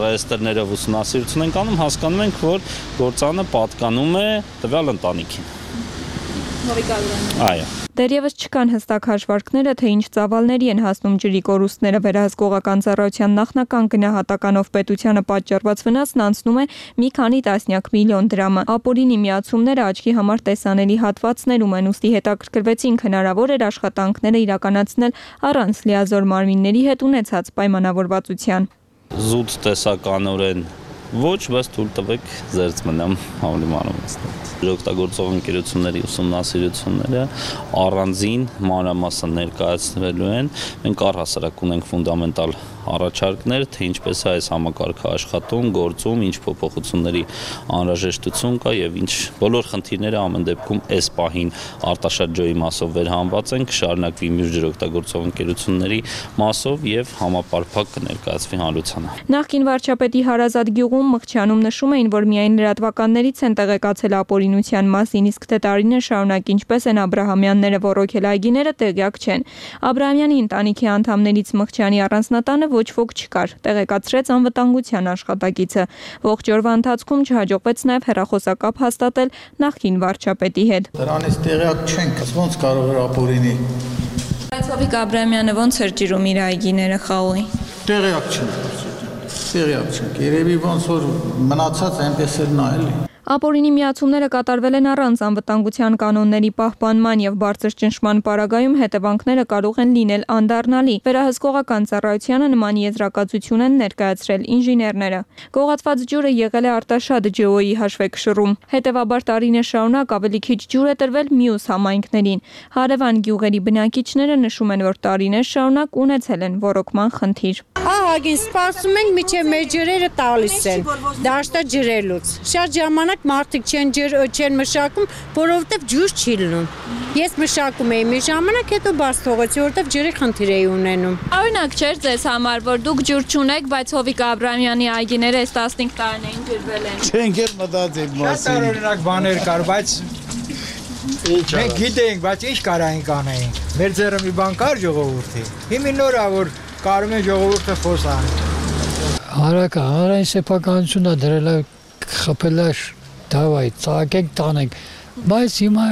Q: ռեեստրներով ուսումնասիրություն ենք անում, հասկանում ենք, որ գործանը պատկանում է տվյալ ընտանիքին։ Այո։
P: Դեռևս չկան հստակ հաշվարկները, թե ինչ ծավալների են հասնում ջրի կորուստները։ Վերահսկողական ծառայության նախնական գնահատականով պետությանը պատճառված վնասն անցնում է մի քանի տասնյակ միլիոն դրամը։ Ապօրինի միացումները աչքի համար տեսանելի հատվածներում են, ուստի հետաքրքրվեցինք հնարավոր էր աշխատանքները իրականացնել առանց լիազոր մարմինների հետ ունեցած պայմանավորվածության։
Q: Զուտ տեսականորեն ոչ, բայց թույլ տվեք զերծ մնամ ավելի մանրամասն։ Ջրօգտագործող ընկերությունների ուսումնասիրությունները առանձին մանրամասն ներկայացնելու են։ Մենք առհասարակ ունենք ֆունդամենտալ առաջարկներ, թե ինչպես է այս համակարգը աշխատում, գործում, ինչ փոփոխությունների անհրաժեշտություն կա եւ ինչ բոլոր խնդիրները ամեն դեպքում այս պահին Արտաշատ ջոյի մասով վերհանված են, կշարունակվի մյուս ջրօգտագործող ընկերությունների մասով եւ համապարփակ կներկայացվի հանրությանը։
P: Նախկին վարչապետի հարազատ գյուղում Մղչյանում նշում էին, որ միայն լրատվականներից են տեղեկացել ապօրինության մասին, իսկ թե տարիներ շարունակ ինչպես են Աբրահամյանները ոռոգել այգիները տեղյակ չեն։ Աբրահամյանի ընտանիքի անդամներից Մղչյանի առանձնատանը ոչ ոք չկար, տեղեկացրեց անվտանգության աշխատակիցը։ Ողջ օրվա ընթացքում չհաջողվեց նաև հեռախոսակապ հաստատել նախկին վարչապետի հետ։
R: Դրանից տեղյակ չենք, ոնց կարող էր ապօրինի։
P: Բայց Հովիկ Աբրահամյանը ոնց էր ջրում իր այգիները խաղողի։
R: Տեղյակ չենք։ Տեղյակ չենք։ Երևի ոնց որ մնացած այնպես էր նա էլի։
P: Ապօրինի միացումները կատարվել են առանց անվտանգության կանոնների պահպանման եւ բարձր ճնշման պարագայում հետևանքները կարող են լինել անդառնալի։ Վերահսկողական ծառայությանը նման եզրակացություն են ներկայացրել ինժեներները։ Գողացված ջուրը եղել է Արտաշատ ջոյի հաշվեկշռում։ Հետևաբար տարիներ շարունակ ավելի քիչ ջուր է տրվել մյուս համայնքներին։ Հարևան գյուղերի բնակիչները նշում են, որ տարիներ շարունակ ունեցել են ոռոգման խնդիր։
S: Ահագին սպասում ենք, մինչև մեր ջրերը տալիս են, դաշտա ջրելուց։ Շատ ժամանակ մարդիկ չեն ջր չեն մշակում, որովհետև ջուր չի լինում։ Ես մշակում էի մի ժամանակ, հետո բաց թողեցի, որովհետև ջրի խնդիր էի ունենում։
P: Օրինակ չէր ձեզ համար, որ դուք ջուր չունեք, բայց Հովիկ Աբրահամյանի այգիները այս տասնհինգ տարիներին ջրվել են։
R: Չենք էլ մտածել մասին։
T: Շատ օրինակ բաներ կար, բայց Մենք գիտենք, բայց ինչ կարայինք անեինք։ Մեր ձեռը մի բան կար ժողովրդի։ Հիմա նոր է որ կարում են ժողովուրդը խոսան։
U: Հարակը հանրային սեփականությունն է դրել է խփել է դավայ, ծաղկենք տանենք։ Բայց հիմա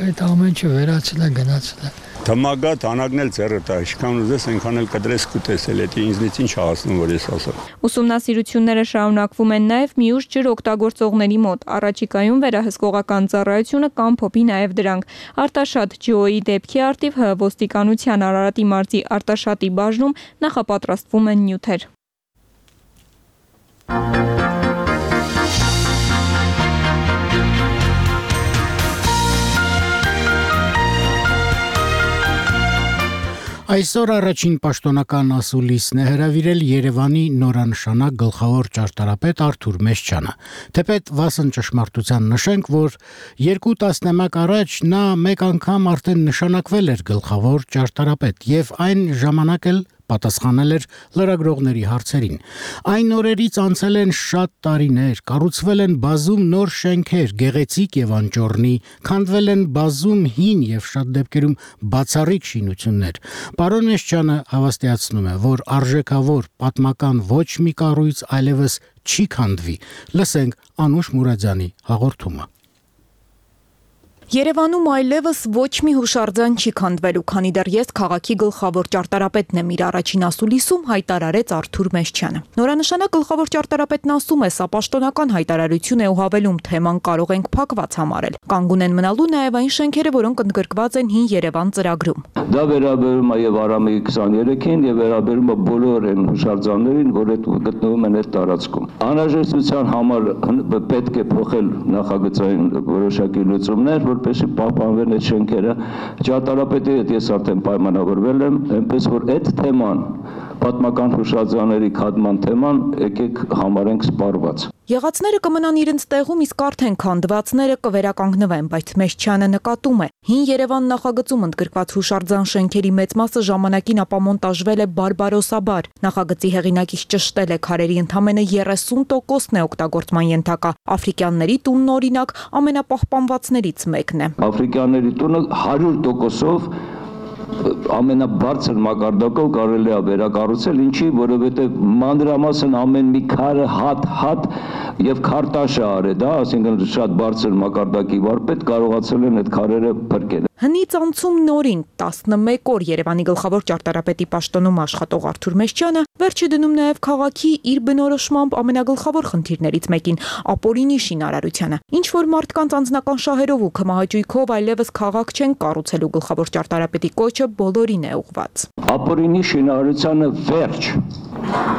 U: այդ ամեն ինչը վերացել է, գնացել է։
V: Թմագա տանագն էլ ձեռը տա, ինչքան ուզես այնքան էլ կդրես կուտեսել, դա ինձնից ինչ հասնում որ ես ասեմ։
P: Ուսումնասիրությունները շարունակվում են նաև մյուս ջր օգտագործողների մոտ։ Առաջիկայում վերահսկողական ծառայությունը կամփոփի նաև դրանք։ Արտաշատ ջոյի դեպքի արդիվ ՀՀ ոստիկանության Արարատի մարզի Արտաշատի բաժնում նախապատրաստվում են նյութեր։
A: Այսօր առաջին պաշտոնական ասուլիսն է հրավիրել Երևանի նորանշանակ գլխավոր ճարտարապետ Արթուր Մեսչյանը։ Թեպետ վասն ճշմարտության նշենք, որ երկու տասնամյակ առաջ նա մեկ անգամ արդեն նշանակվել էր գլխավոր ճարտարապետ եւ այն ժամանակ էլ պատասխանել էր լրագրողների հարցերին։ Այն օրերից անցել են շատ տարիներ, կառուցվել են բազում նոր շենքեր, գեղեցիկ եւ անճոռնի, քանդվել են բազում հին եւ շատ դեպքերում բացառիկ շինություններ։ Պարոն Մեսչյանը հավաստիացնում է, որ արժեքավոր պատմական ոչ մի կառույց այլևս չի քանդվի։ Լսենք Անուշ Մուրադյանի հաղորդումը։
W: Երևանում այլևս ոչ մի հուշարձան չի քանդվելու, քանի դեռ ես քաղաքի գլխավոր ճարտարապետն եմ, իր առաջին ասուլիսում հայտարարեց Արթուր Մեսչյանը։ Նորանշանակ գլխավոր ճարտարապետն ասում է, սա պաշտոնական հայտարարություն է ու հավելում, թեման կարող ենք փակված համարել։ Կանգուն են մնալու նաև այն շենքերը, որոնք ընդգրկված են հին Երևան ծրագրում։
X: Դա վերաբերում է եւ Արամի քսաներեքին եւ վերաբերում է բոլոր այն հուշարձաններին, որ այդ գտնվում են այդ տարածքում։ Անհրաժեշտության համար պետք է փոխել նախագծային որոշակի լուծումներ, որպեսզի պահպանվեն այդ շենքերը։ Ճարտարապետի հետ ես արդեն պայմանավորվել եմ, այնպես որ այդ թեման, պատմական հուշարձանների քանդման թեման, եկեք համարենք սպառված։
W: Եղածները կմնան իրենց տեղում, իսկ արդեն քանդվածները կվերականգնվեն, բայց Մեսչյանը նկատում է, հին Երևան նախագծում ընդգրկված հուշարձան շենքերի մեծ մասը ժամանակին ապամոնտաժվել է բարբարոսաբար։ Նախագծի հեղինակից ճշտել է քարերի ընդամենը երեսուն տոկոսն է օգտագործման ենթակա։ Աֆրիկյանների տունն օրինակ ամենապահպանվածներից մեկն է։
X: Աֆրիկյանների տունը հարյուր տոկոսով ամենաբարձր մակարդակով կարելի է վերակառուցել, ինչի, որովհետև մանրամասն ամեն մի քարը հատ-հատ եւ քարտաշ է արել, դա, այսինքն շատ բարձր մակարդակի վարպետ կարողացել են այդ քարերը փրկել։
W: Հնից անցում նորին տասնմեկ օր Երևանի գլխավոր ճարտարապետի պաշտոնում աշխատող Արթուր Մեսչյանը վերջը դնում նաև քաղաքի իր բնորոշմամբ ամենագլխավոր խնդիրներից մեկին՝ ապօրինի շինարարությանը։ Ինչ որ մարդկանց անձնական շահերով ու քմահաճույքով այլևս քաղաք չեն կառուցելու գլխավոր ճարտարապետի կոչը բոլորին է ուղղված։
X: Ապօրինի շինարարությանը վերջ,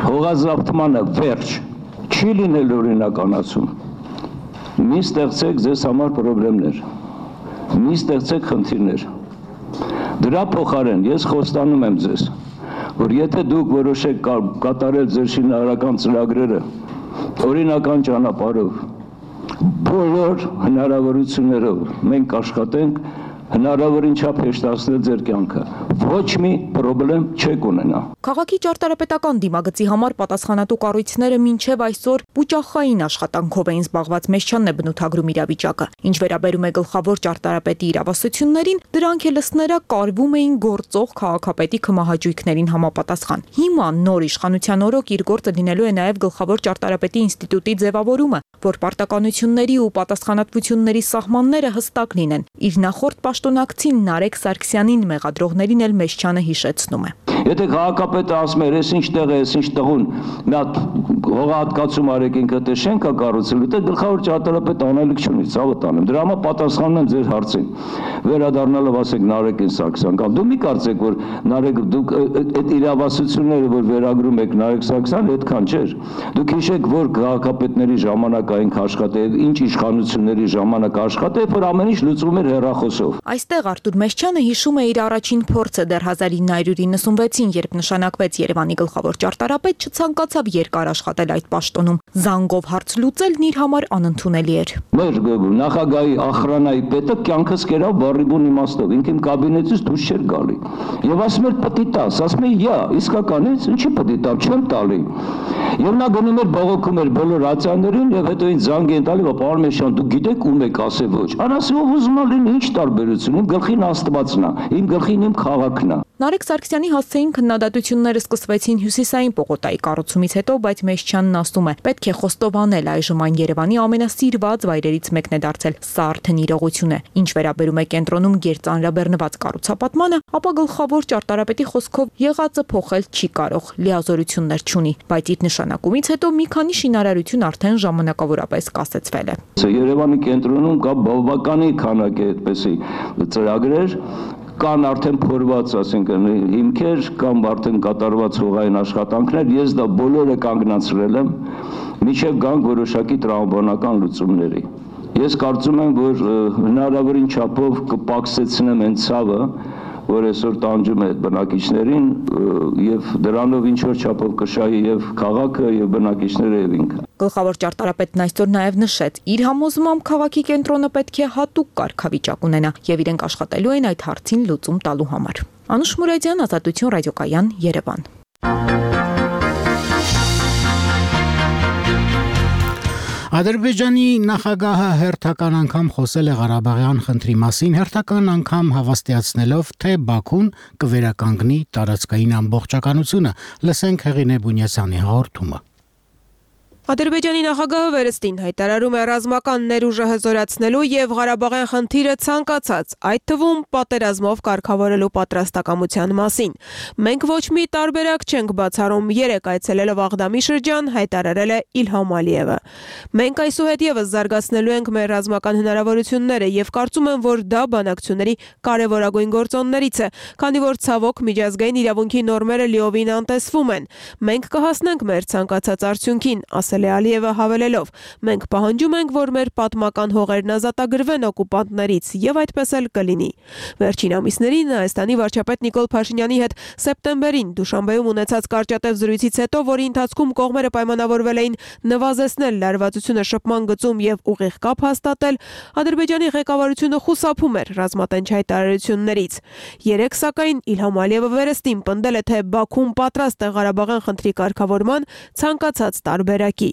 X: հողազավթմանը վերջ, չի լինել օրինականացում։ Մի ստեղծեք ձեզ համար խնդիրներ։ Մի ստեղծեք խնդիրներ։ Դրա փոխարեն ես խոստանում եմ ձեզ, որ եթե դուք որոշեք կատարել ձեր շինարարական ծրագրերը օրինական ճանապարհով, բոլոր հնարավորություններով մենք աշխատենք հնարավորին չափ հեշտացնել ձեր կյանքը։ Ոչ մի խնդրեմ չեք ունենա։
W: Քաղաքի ճարտարապետական դիմագծի համար պատասխանատու կառույցները մինչև այսօր բուճախային աշխատանքով էին զբաղված, Մեսչյանն է բնութագրում իրավիճակը։ Ինչ վերաբերում է գլխավոր ճարտարապետի իրավասություններին, դրանք ելսները կարվում էին գործող քաղաքապետի քմահաճույքներին համապատասխան։ Հիմա նոր իշխանության օրոք իր գործը լինելու է նաև գլխավոր ճարտարապետի ինստիտուտի ձևավորումը, որ պարտականությունների ու պատասխանատվությունների սահմանները հստակ լինեն։ Իր նախորդ պաշտոնակցին Նարեկ Սարգսյանին մեղադրողներին էլ Մեսչյանը հիշեցնում է։
X: Եթե քաղաքապետը ասում է, ես ինչ տեղ է, ես ինչ տղուն, մի հատ հողահատկացում արեք ինքը դե շենք է կառուցելու, դե գլխավոր ճարտարապետը անելիք չունի, ցավը տանեմ։ Դրա համար պատասխանում եմ ձեր հարցին։ Վերադառնալով ասեք Նարեկին Սարգսյան, կամ դու մի կարծեք, որ Նարեկ դուք այդ իրավասությունները, որ վերագրում եք Նարեկ Սարգսյան, այդքան չէր։ Դուք հիշեք, որ քաղաքապետների ժամանակ այնք աշխատել, ինչ իշխանությունների ժամանակ աշխատել, որ ամեն ինչ լուծվում էր հեռախոսով։
W: Այստեղ Արթուր Մեսչյանը հիշում է իր առաջին փորձը դեռ հազար ինը հարյուր իննսունվեց Բացին, երբ նշանակվեց Երևանի գլխավոր ճարտարապետ, չցանկացավ երկար աշխատել այդ պաշտոնում։ Զանգով հարց լուծելն իր համար անընդունելի էր։
X: Մեր նախագահի ախրանայի պետը կյանքս կերավ բառիբուն իմաստով, ինք իմ կաբինետից դուրս չէր գալի։ Եվ ասում էր պետք է տաս, ասում էր «Յա, իսկականից, ինչի պետք է տամ, չեմ տալի»։ Եվ նա գնում էր բողոքում էր բոլոր ռացիաներին եւ հետո ինձ զանգ են տալի, պարոն Մեշյան, դուք գիտեք ում եք, ասե ոչ։ Անասի ով ուզում է լինի, ինչ տարբերություն, իմ գլխին Աստվածն է, իմ գլխին իմ քաղաքն է։
W: Նարեկ Սարգսյանի հասցեին քննադատությունները սկսվեցին Հյուսիսային պողոտայի կառուցումից հետո, բայց Մեշչյանն ասում է, պետք է խոստովանել այժմ այն Երևանի ամենասիրված վայրերից մեկն է դարձել։ Սա արդեն իրողություն է։ Ինչ վերաբերում է կենտրոնում գերծանրաբեռնված կառուցապատմանը, ապա գլխավոր ճարտարապետի խոսքով եղածը փոխել չի կարող, լիազորություններ չունի, բայց իր նշանակումից հետո մի քանի շինարարություն արդեն ժամանակավորապես կասեցվել է։
X: Երևանի կենտրոնում կա բավականին քանակի այդպեսի ծրագրեր, կան արդեն փորված, ասենք, հիմքեր, կամ արդեն կատարված հողային աշխատանքներ, ես դա բոլորը կանգնացրել եմ, մինչև գանք որոշակի տրամաբանական լուծումների։ Ես կարծում եմ, որ հնարավորին չափով կպակսեցնեմ այն ցավը, որ այսօր տանջում է բնակիչներին եւ դրանով ինչ որ չափով կշահի եւ քաղաքը եւ բնակիչները եւ ինքը։
W: Գլխավոր ճարտարապետն այսօր նաեւ նշեց, իր համոզմամբ քաղաքի կենտրոնը պետք է հատուկ կարգավիճակ ունենա եւ իրենք աշխատելու են այդ հարցին լուծում տալու համար։ Անուշ Մուրադյան, Ազատություն ռադիոկայան, Երևան։
A: Ադրբեջանի նախագահը հերթական անգամ խոսել է Ղարաբաղյան խնդրի մասին, հերթական անգամ հավաստիացնելով, թե Բաքուն կվերականգնի տարածքային ամբողջականությունը։ Լսենք Հեղինե Բունյասյանի հաղորդումը։
B: Ադրբեջանի նախագահը վերստին հայտարարում է ռազմական ներուժը հզորացնելու եւ Ղարաբաղյան խնդիրը ցանկացած, այդ թվում պատերազմով կարգավորելու պատրաստակամության մասին։ Մենք ոչ մի տարբերակ չենք բացառում, երեք այցելելով Աղդամի շրջան, հայտարարել է Իլհամ Ալիևը։ Մենք այսուհետ եւս զարգացնելու ենք մեր ռազմական հնարավորությունները եւ կարծում եմ, որ դա բանակցությունների կարեւորագույն գործոններից է, քանի որ ցավոք միջազգային իրավունքի նորմերը լիովին անտեսվում են։ Մենք կհասնենք մեր ցանկացած արդյունքին, ասել է Ալիևը հավելելով. մենք պահանջում ենք, որ մեր պատմական հողերն ազատագրվեն օկուպանտներից եւ այդպես էլ կլինի։ Վերջին ամիսներին Հայաստանի վարչապետ Նիկոլ Փաշինյանի հետ սեպտեմբերին Դուշանբեում ունեցած կարճատև զրույցից հետո, որի ընթացքում կողմերը պայմանավորվել էին նվազեցնել լարվածությունը շփման գծում եւ ուղիղ կապ հաստատել, Ադրբեջանի ղեկավարությունը խուսափում էր ռազմատենչ հայտարարություններից։ Երեք սակայն Իլհամ Ալիևը վերստին պնդել է, թե Բաքուն պատրաստ է Ղարաբաղյան խնդրի կարգավորման ցանկացած տարբերակի։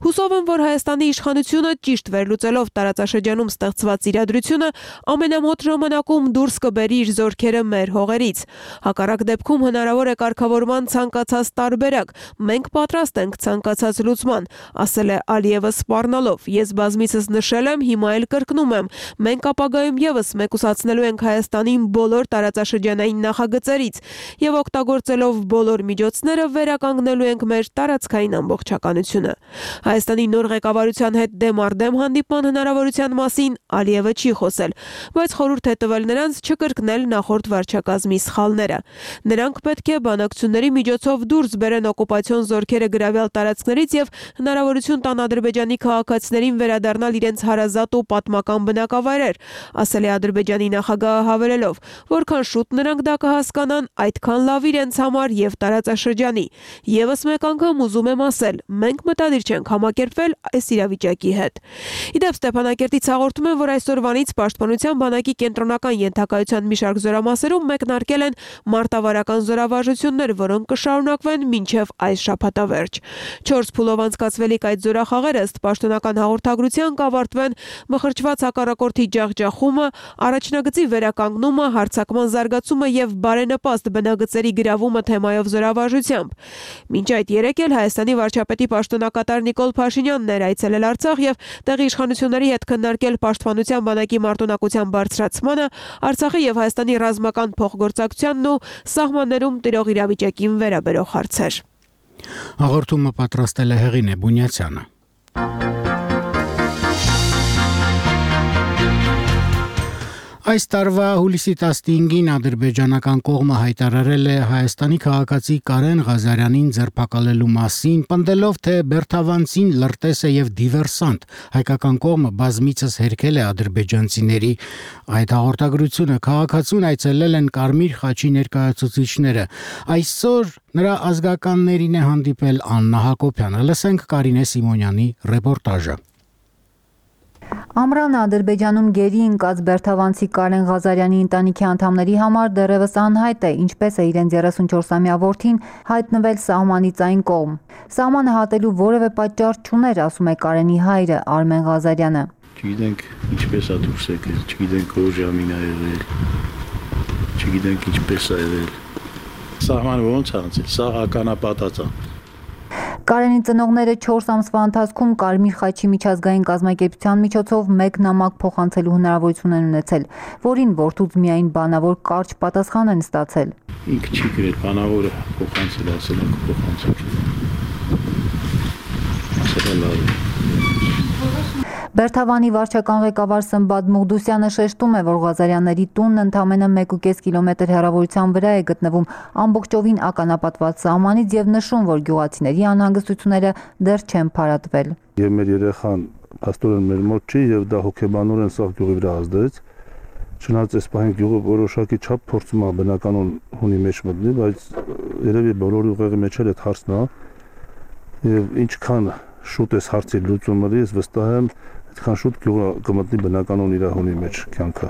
B: Հուսով եմ, որ Հայաստանի իշխանությունը ճիշտ վերլուծելով տարածաշրջանում ստեղծված իրադրությունը ամենամոտ ժամանակում դուրս կբերի իր զորքերը մեր հողերից։ Հակառակ դեպքում հնարավոր է կարգավորման ցանկացած տարբերակ։ Մենք պատրաստ ենք ցանկացած լուծման, ասել է Ալիևը սպառնալով։ Ես բազմիցս նշել եմ, հիմա էլ կրկնում եմ, մենք ապագայում եւս մեկուսացնելու ենք Հայաստանին բոլոր տարածաշրջանային նախագծերից եւ օգտագործելով բոլոր միջոցները վերականգնելու ենք մեր տարածքային ամբողջականությունը։ Հայաստանի նոր ղեկավարության հետ դեմ առ դեմ հանդիպման հնարավորության մասին Ալիևը չի խոսել, բայց խորհուրդ է տվել նրանց չկրկնել նախորդ վարչակազմի սխալները։ Նրանք պետք է բանակցությունների միջոցով դուրս բերեն օկուպացիոն զորքերը գրավյալ տարածքներից եւ հնարավորություն տան Ադրբեջանի քաղաքացիներին վերադառնալ իրենց հարազատ ու պատմական բնակավայրեր, ասել է Ադրբեջանի նախագահը հավելելով, որքան շուտ նրանք դա կհասկանան, այդքան լավ իրենց համար եւ տարածաշրջանի։ Եվս մեկ անգամ ուզում եմ ասել, մենք մտադիր չենք համակերպվել այս իրավիճակի հետ։ Իդեպ Ստեփանակերտից հաղորդում են, որ այսօրվանից Պաշտպանության բանակի կենտրոնական ենթակայության մի շարք զորամասերում մեկնարկել են մարտավարական զորավարժություններ, որոնք կշարունակվեն մինչև այս շաբաթավերջ։ Չորս փուլով անցկացվելիք այդ զորախաղերը ըստ պաշտոնական հաղորդագրության կավարտվեն մխրճված հակառակորդի ջախջախումը, առաջնագծի վերականգնումը, հարձակման զարգացումը եւ բարենպաստ բնագծերի գրավումը թեմայով զորավարժությամբ։ Մինչ այդ երեկ էլ Հայաստանի վարչապետի պաշտոնակատար Նիկոլ Փաշինյանն էր այցելել Արցախ եւ տեղի իշխանությունների հետ քննարկել պաշտպանության բանակի մարտունակության բարձրացմանը, Արցախի եւ Հայաստանի ռազմական փոխգործակցությանն ու սահմաններում տիրող իրավիճակին վերաբերող հարցեր։
A: Հաղորդումը պատրաստել է Հեղինե Բունյացյանը։ Այս տարվա հուլիսի տասնհինգին ադրբեջանական կողմը հայտարարել է Հայաստանի քաղաքացի Կարեն Ղազարյանին ձերբակալելու մասին, պնդելով, թե բերթավանցին լրտես է եւ դիվերսանտ։ Հայկական կողմը բազմիցս հերքել է ադրբեջանցիների այդ հաղորդագրությունը։ Քաղաքացուն այցելել են Կարմիր խաչի ներկայացուցիչները։ Այսօր նրա ազգականներին է հանդիպել Աննա Հակոբյանը։ Լսենք Կարինե Սիմոնյանի ռեպորտաժը։
C: Ամռանը Ադրբեջանում գերի ընկած բերթավանցի Կարեն Ղազարյանի ընտանիքի անդամների համար դեռևս անհայտ է, ինչպես է իրենց երեսունչորսամյա որդին հայտնվել սահմանից այն կողմ։ Սահմանը հատելու որևէ պատճառ չուներ, ասում է Կարենի հայրը Արմեն Ղազարյանը։
D: Չգիտենք ինչպես է դուրս եկել, չգիտենք ով ժամին է եղել, չգիտենք ինչպես է եղել։ Սահմանը ոնց է անցել, սա ականապատած է։
C: Կարենի ծնողները չորս ամսվա ընթացքում Կարմիր խաչի միջազգային կազմակերպության միջոցով մեկ նամակ փոխանցելու հնարավորություն են ունեցել, որին որդուց միայն բանավոր կարճ պատասխան են ստացել։
D: Ինքը չի գրել, բանավորը փոխանցել, ասել են փոխանցել։ Ասել է լավ։
C: Բերթավանի վարչական ղեկավար Սմբատ Մուղդուսյանը շեշտում է, որ Ղազարյանների տունն ընդամենը մեկ ու կես կիլոմետր հեռավորության վրա է գտնվում ամբողջովին ականապատված սահմանից եւ նշում, որ գյուղացիների անհանգստությունները դեռ չեն փարատվել։
D: Եվ մեր երեխան աստորեն մեր մոտ չի եւ դա հոգեբանորեն սաղ գյուղի վրա ազդեց։ Չնայած այս պահին գյուղը որոշակի չափ փորձում է բնականon հունի մեջ մտնի, բայց երևի բոլորի ուղեղի մեջ էլ այդ հարցն է եւ ինչքան շուտ էս հարցի լուծումը ես վստահ եմ այդքան շուտ գյուղը կմտնի բնականon իր հունի մեջ կյանքը։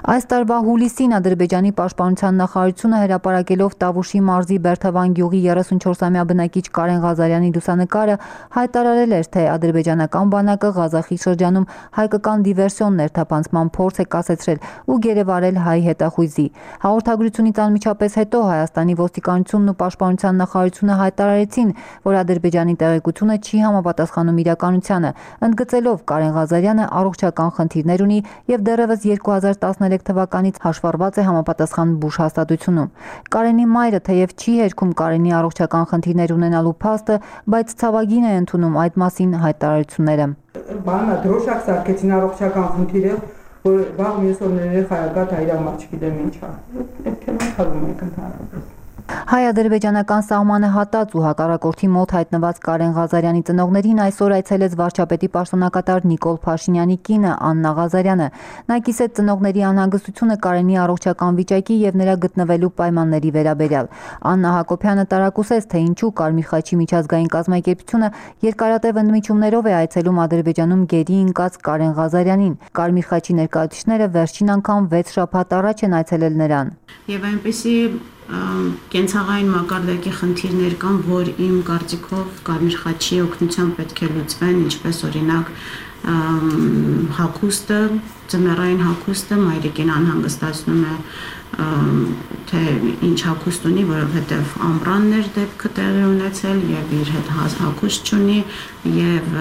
C: Այս տարվա հուլիսին Ադրբեջանի պաշտպանության նախարարությունը հրապարակելով Տավուշի մարզի Բերթավան գյուղի երեսունչորսամյա բնակիչ Կարեն Ղազարյանի լուսանկարը հայտարարել էր, թե ադրբեջանական բանակը Ղազախի շրջանում հայկական դիվերսիոն ներթափանցման փորձ է կասեցրել ու գերեվարել հայ հետախույզի։ Հաղորդագրությունից անմիջապես հետո Հայաստանի ոստիկանությունն ու պաշտպանության նախարարությունը հայտարարեցին, որ Ադրբեջանի տեղեկությունը չի համապատասխանում իրականությանը, ընդգծելով Կարեն Ղազարյանը առողջական խնդիրներ ունի եւ դեռևս երկու հազար տասներեք թվականից հաշվառված է համապատասխան բուժ հաստատությունում։ Կարենի մայրը թեև չի հերքում Կարենի առողջական խնդիրներ ունենալու փաստը, բայց ցավագին է ընդունում այդ մասին հայտարարությունները։
F: Բանը դրոշակ սարքեցին առողջական խնդիրը, որ վաղ մյուս օրները խայագատ հայրամար չգիտեմ ինչա։ Այդ թեման խաղում ենք ընդհանրապես։
C: Հայ-ադրբեջանական սահմանը հատած ու հակառակորդի մոտ հայտնված Կարեն Ղազարյանի ծնողներին այսօր այցելեց վարչապետի պաշտոնակատար Նիկոլ Փաշինյանի կինը Աննա Ղազարյանը։ Նա կիսեց ծնողների անհանգստությունը Կարենի առողջական վիճակի եւ նրա գտնվելու պայմանների վերաբերյալ։ Աննա Հակոբյանը տարակուսեց, թե ինչու Կարմիր խաչի միջազգային կազմակերպությունը երկարատև ընդմիջումներով է այցելում Ադրբեջանում գերի ընկած Կարեն Ղազարյանին։ Կարմիր խաչի ներկայացուցիչները վերջին անգամ վեց շաբաթ առաջ են այցելել նրան։
G: Եվ այնպեսի կենցաղային մակարդակի խնդիրներ կան, որ իմ կարծիքով Կարմիր խաչի օգնությամբ պետք է լուծվեն, ինչպես օրինակ հագուստը, ձմեռային հագուստը մայրիկին անհանգստացնում է, թե ինչ հագուստ ունի, որովհետև ամռաններ դեպքը տեղի ունեցել եւ իր հետ հագուստ չունի եւ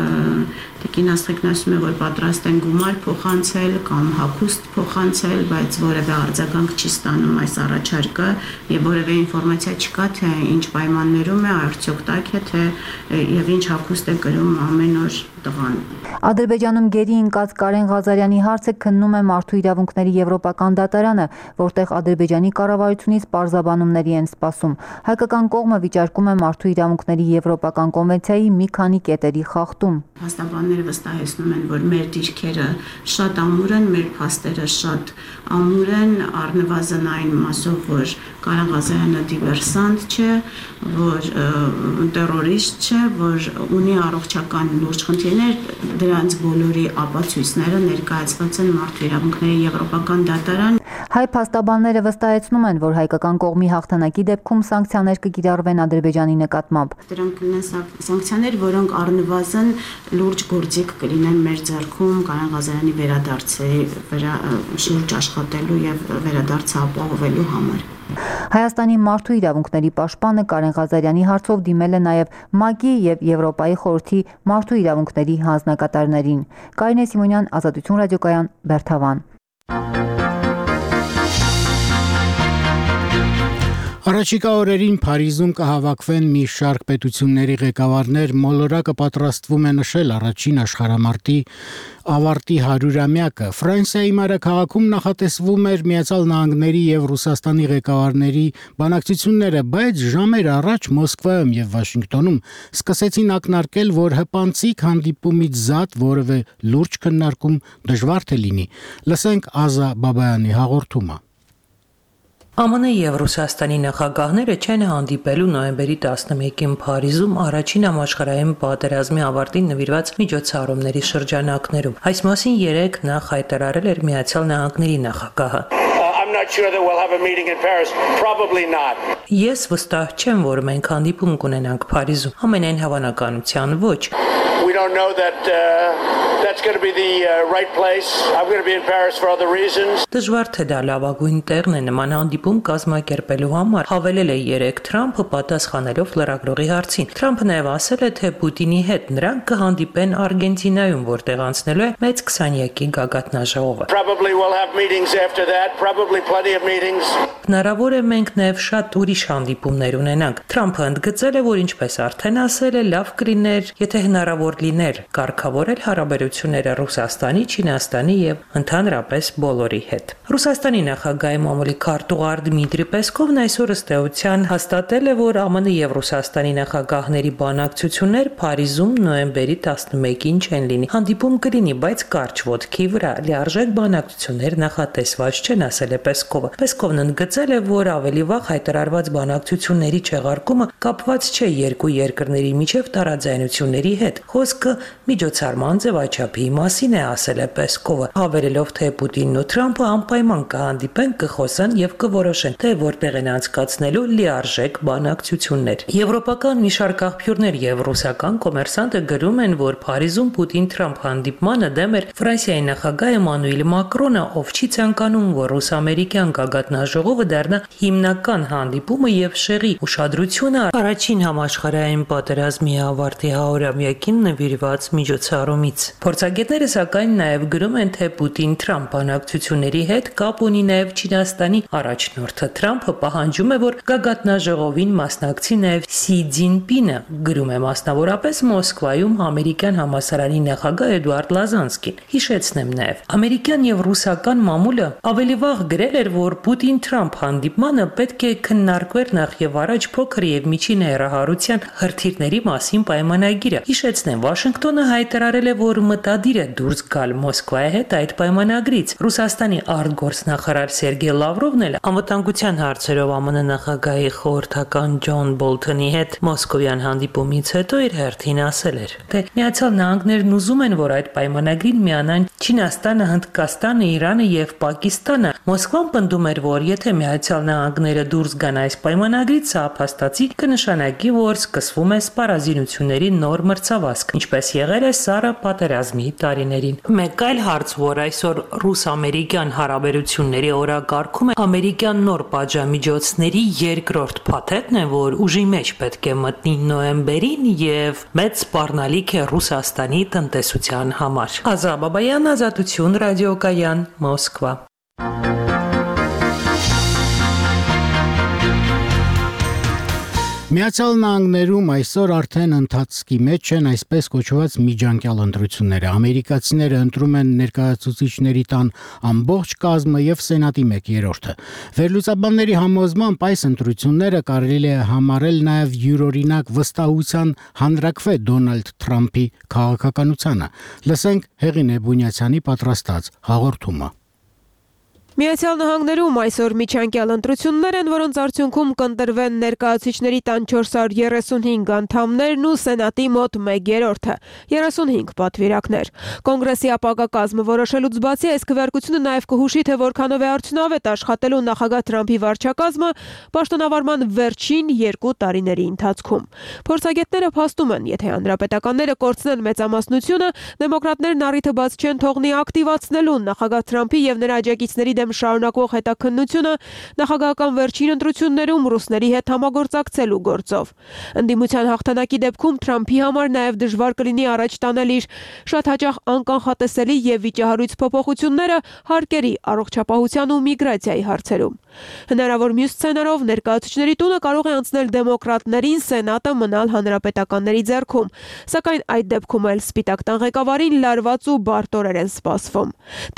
G: տիկին Աստղիկն ասում է, որ պատրաստ են գումար փոխանցել կամ հագուստ փոխանցել, բայց որևէ արձագանք չի ստանում այս առաջարկը եւ որևէ ինֆորմացիա չկա, թե ինչ պայմաններում է, արդյոք տաք է, թե եւ ինչ հագուստ է կրում ամեն օր տղան։
C: Ադրբեջանում գերի ընկած Կարեն Ղազարյանի հարցը քննում է Մարդու իրավունքների եվրոպական դատարանը, որտեղ Ադրբեջանի կառավարությունից պարզաբանումների են սպասում։ Հայկական կողմը վիճարկում է Մարդու իրավունքների եվրոպական կոնվենցիայի մի քանի կետերի խախտում։
G: Փաստաբանները վստահեցնում են, որ մեր դիրքերը շատ ամուր են, մեր փաստերը շատ ամուր են, առնվազն այն մասով, որ Կարեն Ղազարյանը դիվերսանտ չէ, որ տերորիստ չէ, որ ունի առողջական լուրջ խնդիրներ, դրանց բոլորի ապացույցները ներկայացված են Մարդու իրավունքների եվրոպական դատարան։
C: Հայ փաստաբանները վստահեցնում են, որ հայկական կողմի հաղթանակի դեպքում սանկցիաներ կկիրառվեն Ադրբեջանի նկատմամբ։
G: Դրանք կլինեն սանկցիաներ, որոնք առնվազն լուրջ գործիք կլինեն մեր ձեռքում Կարեն Ղազարյանի վերադարձի վրա շուրջ աշխատելու եւ վերադարձը ապահովելու համար։
C: Հայաստանի մարդու իրավունքների պաշտպանը Կարեն Ղազարյանի հարցով դիմել է նաև ՄԱԿ-ի եւ Եվրոպայի խորհրդի մարդու իրավունքների հանձնակատարներին։ Կարինե Սիմոնյան, Ազատություն ռադիոկայան, Բերթավան։
A: Առաջիկա օրերին Փարիզում կհավաքվեն մի շարք պետությունների ղեկավարներ, մոլորակը պատրաստվում է նշել առաջին աշխարհամարտի ավարտի հարյուրամյակը։ Ֆրանսիայի մայրաքաղաքում նախատեսվում էր Միացյալ Նահանգների եւ Ռուսաստանի ղեկավարների բանակցությունները, բայց ժամեր առաջ Մոսկվայում եւ Վաշինգտոնում սկսեցին ակնարկել, որ հպանցիկ հանդիպումից զատ որևէ լուրջ քննարկում դժվար թե լինի։ Լսենք Ազա Բաբայանի հաղորդումը։
E: Է Մ Ն եւ Ռուսաստանի նախագահները չեն հանդիպելու նոյեմբերի տասնմեկին Փարիզում առաջին համաշխարհային պատերազմի ավարտին նվիրված միջոցառումների շրջանակներում։ Այս մասին երեկ նախ հայտարարել էր Միացյալ Նահանգների նախագահը։
H: I'm not sure that we'll have a meeting in Paris. Probably not.
E: Ես վստահ չեմ, որ մենք հանդիպում կունենանք Փարիզում։ Ամենայն հավանականության ոչ։
H: We don't know that uh, that's going to be the uh, right place. I'm going to be in Paris for other reasons.
E: Դժվար թե դա լավագույն տեղն է նման հանդիպում կազմակերպելու համար, հավելել է երեկ Թրամփը պատասխանելով լրագրողի հարցին։ Թրամփը նաև ասել է, թե Պուտինի հետ նրանք կհանդիպեն Արգենտինայում, որտեղ անցնելու է մեծ քսանյակի գագաթնաժողովը։
H: Probably we'll have meetings after that, probably plenty of meetings.
E: Հնարավոր է մենք նաև շատ ուրիշ հանդիպումներ ունենանք։ Թրամփը ընդգծել է, որ ինչպես արդեն ասել է, լավ կլիներ, եթե հնարավոր լիներ կարգավորել հարաբերությունները Ռուսաստանի, Չինաստանի եւ ընդհանրապես բոլորի հետ։ Ռուսաստանի նախագահի մամուլի քարտուղար Դմիտրի Պեսկովն այսօր ըստեյության հաստատել է, որ Ա Մ Ն եւ Ռուսաստանի նախագահների բանակցություններ Փարիզում նոյեմբերի տասնմեկին չեն լինի։ Հանդիպում կլինի, բայց կարճ ոտքի վրա լիարժեք բանակցություններ նախատեսված չեն, ասել է Պեսկովը։ Պեսկովն ընդգծել է, որ ավելի վաղ հայտարարված բանակցությունների չեղարկումը կապված չէ երկու երկրների միջև տարաձայնությունների հետ։ Խոսքը միջոցառման ձևաչափի մասին է, ասել է Պեսկովը, հավելելով, թե Պուտինն ու Թրամփը անպայման կհանդիպեն, կխոսեն եւ կորոշեն, թե որտեղ են անցկացնելու լիարժեք բանակցություններ։ Եվրոպական մի շարք աղբյուրներ եւ ռուսական կոմերսանտը գրում են, որ Փարիզում Պուտին-Թրամփ հանդիպմանը դեմ էր Ֆրանսիայի նախագահ Էմանուել Մակրոնը, ով չի ցանկանում, որ ռուս-ամերիկյան գագաթնաժողովը դառնա հիմնական հանդիպումը եւ շեղի ուշադրությունը առաջին համաշխարհային պատերազմի ավարտի հարյուրամյակին նվիրված միջոցառումից։ Փորձագետները սակայն նաև գրում են, թե Պուտին-Թրամփ բանակցությունների հետ կապ ունի նաև Չինաստանի առաջնորդը։ Թրամփը պահանջում է, որ գագաթնաժողովին մասնակցի նաև Սի Ցզինպինը, գրում է մասնավորապես Մոսկվայում ամերիկյան համալսարանի նախագահ Էդուարդ Լազանսկին։ Հիշեցնեմ նաև, ամերիկյան եւ ռուսական մամուլը ավելի վաղ գրել էր, որ Պուտին-Թրամփ հանդիպմանը պետք է քննարկվեր նախ եւ առաջ փոքր եւ միջին հեռահարության հրթիռների մասին պայմանագիրը։ Հիշեցնեմ, Վաշինգտոնը հայտարարել է, որ մտադիր է դուրս գալ Մոսկվայի հետ այդ պայմանագրից։ Ռուսաստանի արտգործնախարար Սերգեյ Լավրովն էլ անվտանգության հարցերով Ա Մ Ն նախագահի խորհրդական Ջոն Բոլթոնի հետ մոսկովյան հանդիպումից հետո իր հերթին ասել էր, թե Միացյալ Նահանգներն ուզում են, որ այդ պայմանագրին միանան Չինաստանը, Հնդկաստանը, Իրանը եւ Պակիստանը։ Մոսկվան պնդում էր, որ եթե Միացյալ Նահանգները դուրս գան այս պայմանագրից, սա փաստացի կնշանակի, որ սկսվում է սպառազինությունների նոր մրցավազք, ինչպես եղել է Սառը պատերազմի տարիներին։ Մեկ այլ հարց, որ այսօր ռուս-ամերիկյան հարաբերությունների օրակարգում է ամերիկյան նոր պատժամիջոցների երկրորդ փաթեթն է, որ ուժի մեջ պետք է մտնի նոյեմբերին եւ մեծ սպառնալիք է Ռուսաստանի տնտեսության համար։ Ազա Բաբայան, Ազատություն, ռադիոկայան, Մոսկվա։
A: Միացյալ Նահանգներում այսօր արդեն ընթացքի մեջ են այսպես կոչված միջանկյալ ընտրությունները։ Ամերիկացիները ընտրում են ներկայացուցիչների տան ամբողջ կազմը եւ Սենատի մեկ երրորդը։ Վերլուծաբանների համոզմամբ այս ընտրությունները կարելի է համարել նաեւ յուրօրինակ վստահության հանրակրվե Դոնալդ Թրամփի քաղաքականությանը։ Լսենք Հեղինե Բունյացյանի պատրաստած հաղորդումը։
B: Միացյալ Նահանգներում այսօր միջանկյալ ընտրություններ են, որոնց արդյունքում կընտրվեն ներկայացուցիչների տան չորս հարյուր երեսունհինգ անդամներն ու Սենատի մոտ մեկ երրորդը, երեսունհինգ պատվիրակներ։ Կոնգրեսի ապագա կազմը որոշելուց բացի այս քվեարկությունը նաև կհուշի, թե որքանով է արդյունավետ աշխատելու նախագահ Թրամփի վարչակազմը պաշտոնավարման վերջին երկու տարիների ընթացքում։ Փորձագետները փաստում են, եթե հանրապետականները կորցնեն մեծամասնությունը, դեմոկրատներն առիթը բաց չեն թողնի ակտիվացնելու նախագահ Թրամփի եւ նրա աջակիցների դեմ շարունակվող հետաքննությունը նախագահական վերջին ընտրություններում ռուսների հետ համագործակցելու գործով։ Ընդդիմության հաղթանակի դեպքում Թրամփի համար նաև դժվար կլինի առաջ տանել իր շատ հաճախ անկանխատեսելի եւ վիճահարույց փոփոխությունները հարկերի, առողջապահության ու միգրացիայի հարցերում։ Հնարավոր մյուս սցենարով ներկայացուցիչների տունը կարող է անցնել դեմոկրատներին, սենատը մնալ հանրապետականների ձեռքում, սակայն այդ դեպքում էլ Սպիտակ տան ղեկավարին լարված ու բարդ օրեր են սպասվում։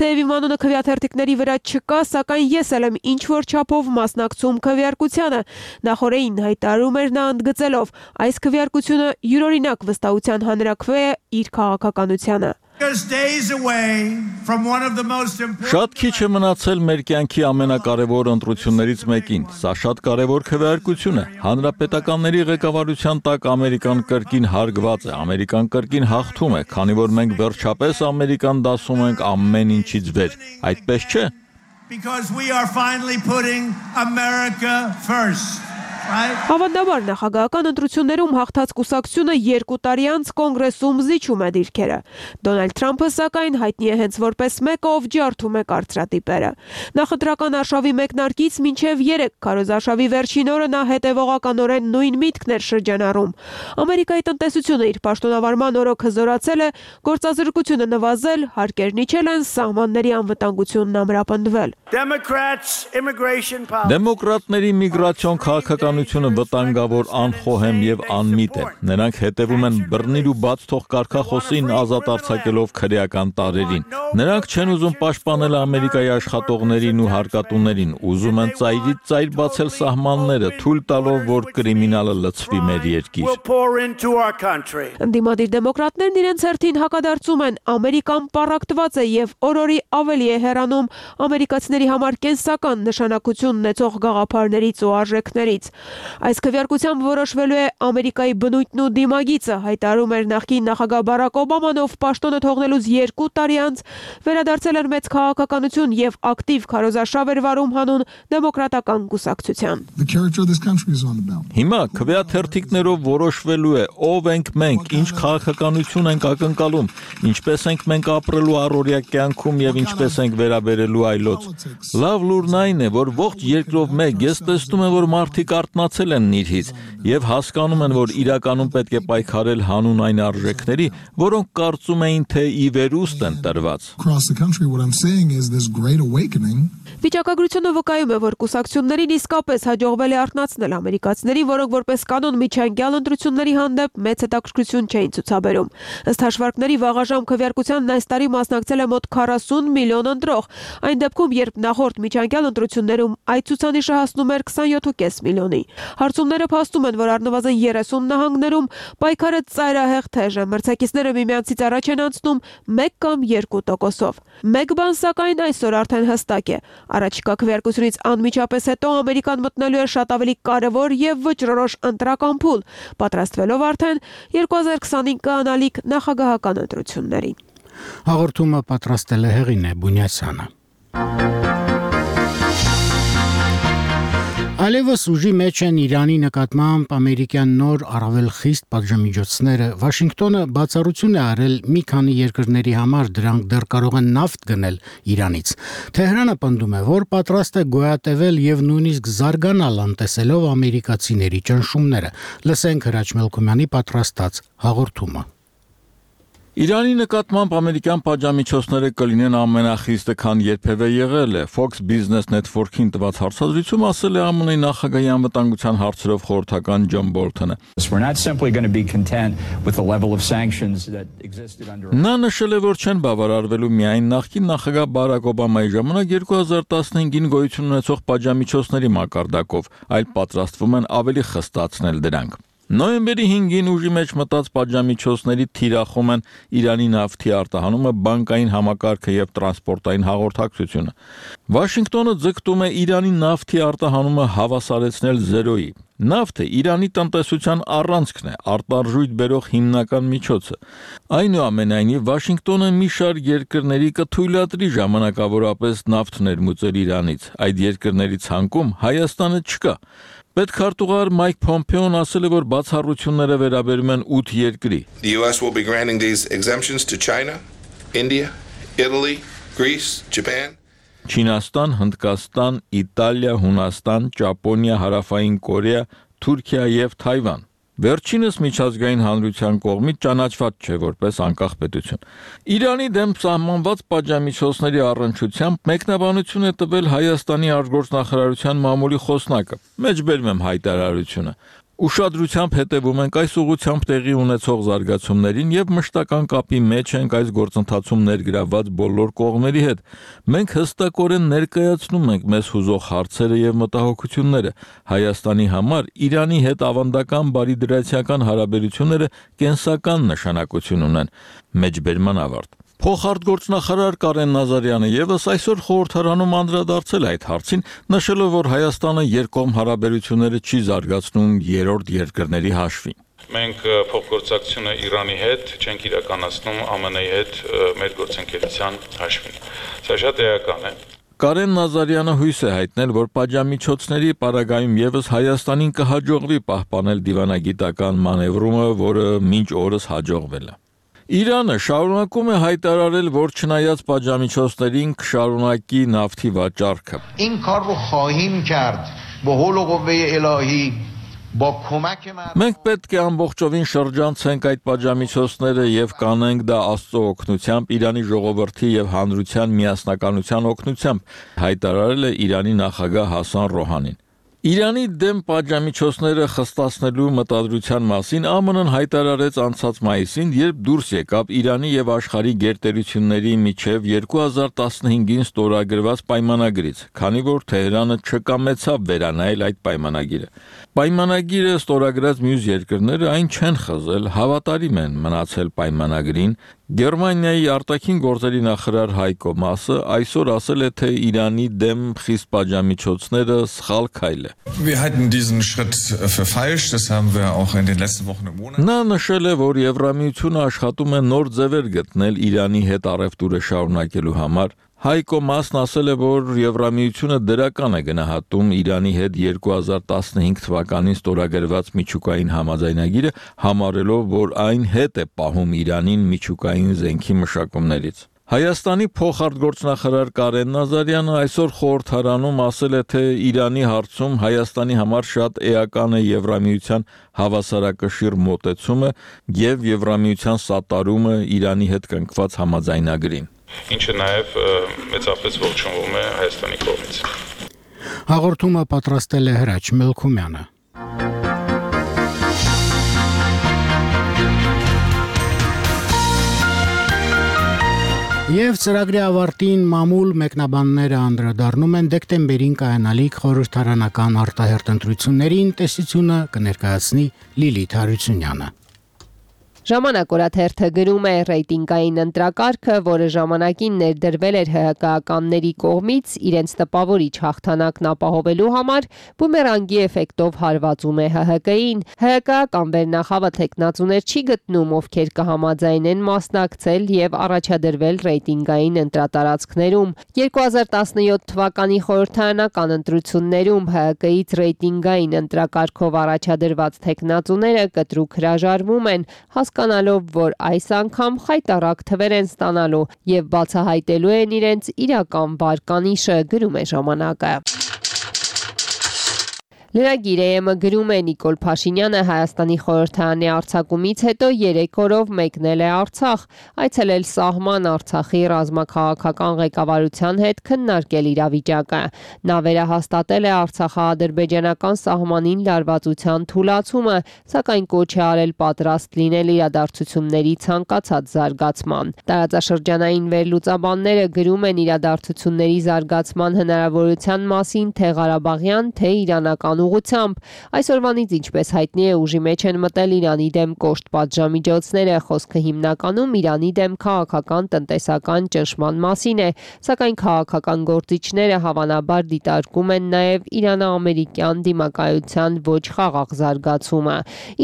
B: Թեև իմ անունը քվեաթերթիկների վրա չկա, սակայն ես էլ եմ ինչ-որ չափով մասնակցում քվեարկությանը, նախորդին հայտարարում էր նա ընդգծելով, այս քվեարկությունը յուրօրինակ վստահության հանրաքվե է իր քաղաքականությանը։
I: Շատ քիչ է մնացել մեր կյանքի ամենակարևոր ընտրություններից մեկին։ Սա շատ կարևոր քվեարկություն է։ Հանրապետականների ղեկավարության տակ Ամերիկան կրկին հարգված է, Ամերիկան կրկին հաղթում է, քանի որ մենք վերջապես Ամերիկան դասում ենք ամեն ինչից վեր։ Այդպես չէ։
K: Because we are finally putting America first.
B: Հավանաբար նախագահական ընտրություններում հաղթած կուսակցությունը երկու տարի անց կոնգրեսում զիջում է դիրքերը։ Դոնալդ Թրամփը սակայն հայտնի է հենց որպես մեկը, ով ջարդում է կարծրատիպերը։ Նախընտրական արշավի մեկնարկից մինչև երեք քարոզարշավի վերջին օրը նա հետևողականորեն նույն միտքն էր շրջանառում։ Ամերիկայի տնտեսությունը իր պաշտոնավարման օրոք հզորացել է, գործազրկությունը նվազել, հարկերն իջել են, սահմանների անվտանգությունն ամրապնդվել։
I: Դեմոկրատների միգրացիոն քաղաքական վտանգավոր, անխոհեմ եւ անմիտ է։ Նրանք հետևում են բռնիր ու բաց թող կարգախոսին ազատ արձակելով քրեական տարերին։ Նրանք չեն ուզում պաշտպանել Ամերիկայի աշխատողներին ու հարկատուներին, ուզում են ծայրից ծայր բացել սահմանները, թույլ տալով, որ կրիմինալը լցվի մեր երկիր։
B: Ընդդիմադիր դեմոկրատներն իրենց հերթին հակադարձում են, Ամերիկան պառակտված է եւ օրորի ավելի է հեռանում ամերիկացիների համար կենսական նշանակություն ունեցող գաղափարներից ու արժեքներից։ Այս քվեարկությամբ որոշվելու է Ամերիկայի բնույթն ու դիմագիծը, հայտարարում էր նախկին նախագահ Բարակ Օբաման, ով պաշտոնը թողնելուց երկու տարի անց վերադարձել էր մեծ քաղաքականություն եւ ակտիվ քարոզարշավ էր վարում հանուն դեմոկրատական կուսակցության։
I: Հիմա քվեաթերթիկներով որոշվելու է ով ենք մենք, ինչ քաղաքականություն ենք ակնկալում, ինչպես ենք մենք ապրելու առօրյա կյանքում եւ ինչպես ենք վերաբերելու այլոց։ Լավ լուրն այն է, որ ողջ երկրով մեկ ես տեսնում եմ, որ մարդիկ արթնացել են նիրհից եւ հասկանում են, որ իրականում պետք է պայքարել հանուն այն արժեքների, որոնք կարծում էին, թե ի վերուստ են տրված։
B: Վիճակագրությունը վկայում է, որ կուսակցություններին իսկապես հաջողվել է արթնացնել ամերիկացիներին, որոնք որպես կանոն միջանկյալ ընտրությունների հանդեպ մեծ հետաքրքրություն չէին ցուցաբերում։ Ըստ հաշվարկների վաղաժամ քվեարկությանն այս տարի մասնակցել է մոտ քառասուն միլիոն ընտրող, այն դեպքում, երբ նախորդ միջանկյալ ընտրություններում այդ ցուցանիշը հասնում էր քսանյոթ կես միլիոնի։ Հարցումները փաստում են, որ առնվազն երեսուն նահանգներում պայքարը ծայրահեղ թեժ է, մրցակիցները միմյանցից առաջ են անցնում մեկ կամ երկու տոկոսով։ Մեկ բան սակայն այսօր արդեն հստակ է։ Առաջիկա քվեարկությունից անմիջապես հետո Ամերիկան մտնելու է շատ ավելի կարևոր եւ վճռորոշ ընտրական փուլ, պատրաստվելով արդեն երկու հազար քսանհինգ կանալիք նախագահական ընտրությունների։
A: Հաղորդումը պատրաստել է Հեղինե Բունյասյանը։ Այլևս ուժի մեջ են Իրանի նկատմամբ ամերիկյան նոր առավել խիստ պատժամիջոցները։ Վաշինգտոնը բացառություն է արել մի քանի երկրների համար, դրանք դեռ կարող են նավթ գնել Իրանից։ Թեհրանը պնդում է, որ պատրաստ է գոյատևել եւ նույնիսկ զարգանալ անտեսելով ամերիկացիների ճնշումները։ Լսենք Հրաչ Մելքումյանի պատրաստած հաղորդումը։
I: Իրանի նկատմամբ ամերիկյան պատժամիջոցները կլինեն ամենախիստը, քան երբևէ եղել է։ Fox Business Network-ին տված հարցազրույցում ասել է ԱՄՆ-ի նախագահի անվտանգության հարցերով խորհրդական Ջոն Բոլթոնը։ Նա նշել է, որ չեն բավարարվելու միայն նախկին նախագահ Բարակ Օբամայի ժամանակ երկու հազար տասնհինգին գոյություն ունեցող պատժամիջոցների մակարդակով, այլ պատրաստվում են ավելի խստացնել դրանք։ Նոյեմբերի հինգին ուժի մեջ մտած պատժամիջոցների թիրախում են Իրանի նավթի արտահանումը, բանկային համակարգը եւ տրանսպորտային հաղորդակցությունը։ Վաշինգտոնը ձգտում է Իրանի նավթի արտահանումը հավասարեցնել զերոյի։ Նավթը Իրանի տնտեսության առանցքն է, արտարժույթ բերող հիմնական միջոցը։ Այնուամենայնիվ, Վաշինգտոնը մի շարք երկրների կթույլատրի ժամանակավորապես նավթ ներմուծել Իրանից։ Այդ երկրների ցանկում Հայաստանը չկա։ Պետքարտուղար Մայք Փոմփեոն ասել է, որ բացառությունները վերաբերում են ութ երկրի։
L: The U S will be granting these exemptions to China, India, Italy, Greece, Japan.
I: Չինաստան, Հնդկաստան, Իտալիա, Հունաստան, Ճապոնիա, Հարավային Կորեա, Թուրքիա եւ Թայվան։ Վերջինս միջազգային հանրության կողմից ճանաչված չէ որպես անկախ պետություն։ Իրանի դեմ սահմանված պատժամիջոցների առնչությամբ մեկնաբանություն է տվել Հայաստանի արտգործնախարարության մամուլի խոսնակը։ Մեջբերում եմ հայտարարությունը։ Ուշադրությամբ հետևում ենք այս ուղղությամբ տեղի ունեցող զարգացումներին եւ մշտական կապի մեջ ենք այս գործընթացում ներգրավված բոլոր կողմերի հետ։ Մենք հստակորեն ներկայացնում ենք մեզ հուզող հարցերը եւ մտահոգությունները։ Հայաստանի համար Իրանի հետ ավանդական բարիդրացիական հարաբերությունները կենսական նշանակություն ունեն։ Մեջբերման ավարտ։ Փոխարտգործնախարար Կարեն Նազարյանը եւս այսօր խորհրդարանում անդրադարձել այդ հարցին, նշելով, որ Հայաստանը երկկողմ հարաբերությունները չի զարգացնում երրորդ երկրների հաշվին։
J: Մենք փոխգործակցությունը Իրանի հետ չենք իրականացնում ԱՄՆ -ի հետ մեր գործընկերության հաշվին։ Սա շատ էական է։
I: Կարեն Նազարյանը հույս է հայտնել, որ պատժամիջոցների պարագայում եւս Հայաստանին կհաջողվի պահպանել դիվանագիտական մանևրումը, որը մինչ օրս հաջողվել է։ Իրանը շարունակում է հայտարարել, որ չնայած պատժամիջոցներին կշարունակի նավթի վաճառքը։
L: این کار رو خواهیم کرد با حول و قوه الهی با کمک
I: Մենք պետք է ամբողջովին շրջանցենք այդ պատժամիջոցները եւ կանենք դա Աստծո օգնությամբ, Իրանի ժողովրդի եւ հանրության միասնականության օգնությամբ, հայտարարել է Իրանի նախագահ Հասան Ռոհանին։ Իրանի դեմ պատժամիջոցները խստացնելու մտադրության մասին ԱՄՆ-ն հայտարարեց անցած մայիսին, երբ դուրս եկավ Իրանի եւ աշխարհի գերտերությունների միջև երկու հազար տասնհինգին ստորագրված պայմանագրից, քանի որ Թեհրանը չկամեցավ վերանայել այդ պայմանագիրը։ Պայմանագիրը ստորագրած մյուս երկրները այն չեն խզել, հավատարիմ են մնացել պայմանագրին։ Գերմանիայի արտաքին գործերի նախարար Հայկո Մասը այսօր ասել է, թե Իրանի դեմ խիստ պատժամիջոցները սխալ քայլ է։
M: Wir halten diesen Schritt für falsch, das haben wir auch in den letzten Wochen und Monaten.
I: Նա նշել է, որ Եվրամիությունը աշխատում է նոր ձևեր գտնել Իրանի հետ առևտուրը շարունակելու համար։ Հայկո Մասն ասել է, որ Եվրամիությունը դրական է գնահատում Իրանի հետ երկու հազար տասնհինգ թվականին ստորագրված միջուկային համաձայնագիրը, համարելով, որ այն հետ է պահում Իրանին միջուկային զենքի մշակումներից։ Հայաստանի փոխարտգործնախարար Կարեն Նազարյանը այսօր խորհրդարանում ասել է, թե Իրանի հարցում Հայաստանի համար շատ էական է Եվրամիության հավասարակշիռ մոտեցումը եւ Եվրամիության սատարումը Իրանի հետ կնքված համաձայնագրին։
J: Ինչը նաև մեծապես ողջունվում է Հայաստանի կողմից։
A: Հաղորդումը պատրաստել է Հրաչ Մելքումյանը։ Եվ ծրագրի ավարտին մամուլ մեկնաբանները անդրադառնում են դեկտեմբերին կայանալիք խորհրդարանական արտահերթ ընտրություններին, տեսությունը կներկայացնի Լիլիթ Հարությունյանը։
O: Ժամանակ օրաթերթը գրում է ռեյտինգային ընտրակարգը, որը ժամանակին ներդրվել էր ՀՀԿ-ականների կողմից իրենց տպավորիչ հաղթանակն ապահովելու համար, բումերանգի էֆեկտով հարվածում է ՀՀԿ-ին։ ՀՀԿ-ական վերնախավը թեկնածուներ չի գտնում, ովքեր կհամաձայնեն մասնակցել եւ առաջադրվել ռեյտինգային ընտրատարածքներում։ երկու հազար տասնյոթ թվականի խորհրդարանական ընտրություններում ՀՀԿ-ից ռեյտինգային ընտրակարգով առաջադրված թեկնածուները կտրուկ հրաժարվում են, հասկանալով, որ այս անգամ խայտառակ թվեր են ստանալու եւ բացահայտելու են իրենց իրական վարկանիշը, գրում է ժամանակը։ Լրագիր է գրում է Նիկոլ Փաշինյանը Հայաստանի խորհրդարանի արձակումից հետո երեք օրով մեկնել է Արցախ, այցելել սահման Արցախի ռազմաքաղաքական ղեկավարության հետ քննարկել իրավիճակը։ Նա վերահաստատել է արցախա-ադրբեջանական սահմանին լարվածության թուլացումը, սակայն կոչ է արել պատրաստ լինել իրադարձությունների ցանկացած զարգացման։ Տարածաշրջանային վերլուծաբանները գրում են իրադարձությունների զարգացման հնարավորության մասին թե Ղարաբաղյան, թե իրանական ուղղությամբ։ Այսօրվանից, ինչպես հայտնի է, ուժի մեջ են մտել Իրանի դեմ կոշտ պատժամիջոցները, խոսքը հիմնականում Իրանի դեմ քաղաքական տնտեսական ճնշման մասին է, սակայն քաղաքական գործիչները հավանաբար դիտարկում են նաև Իրано-ամերիկյան դիմակայության ոչ խաղաղ զարգացումը։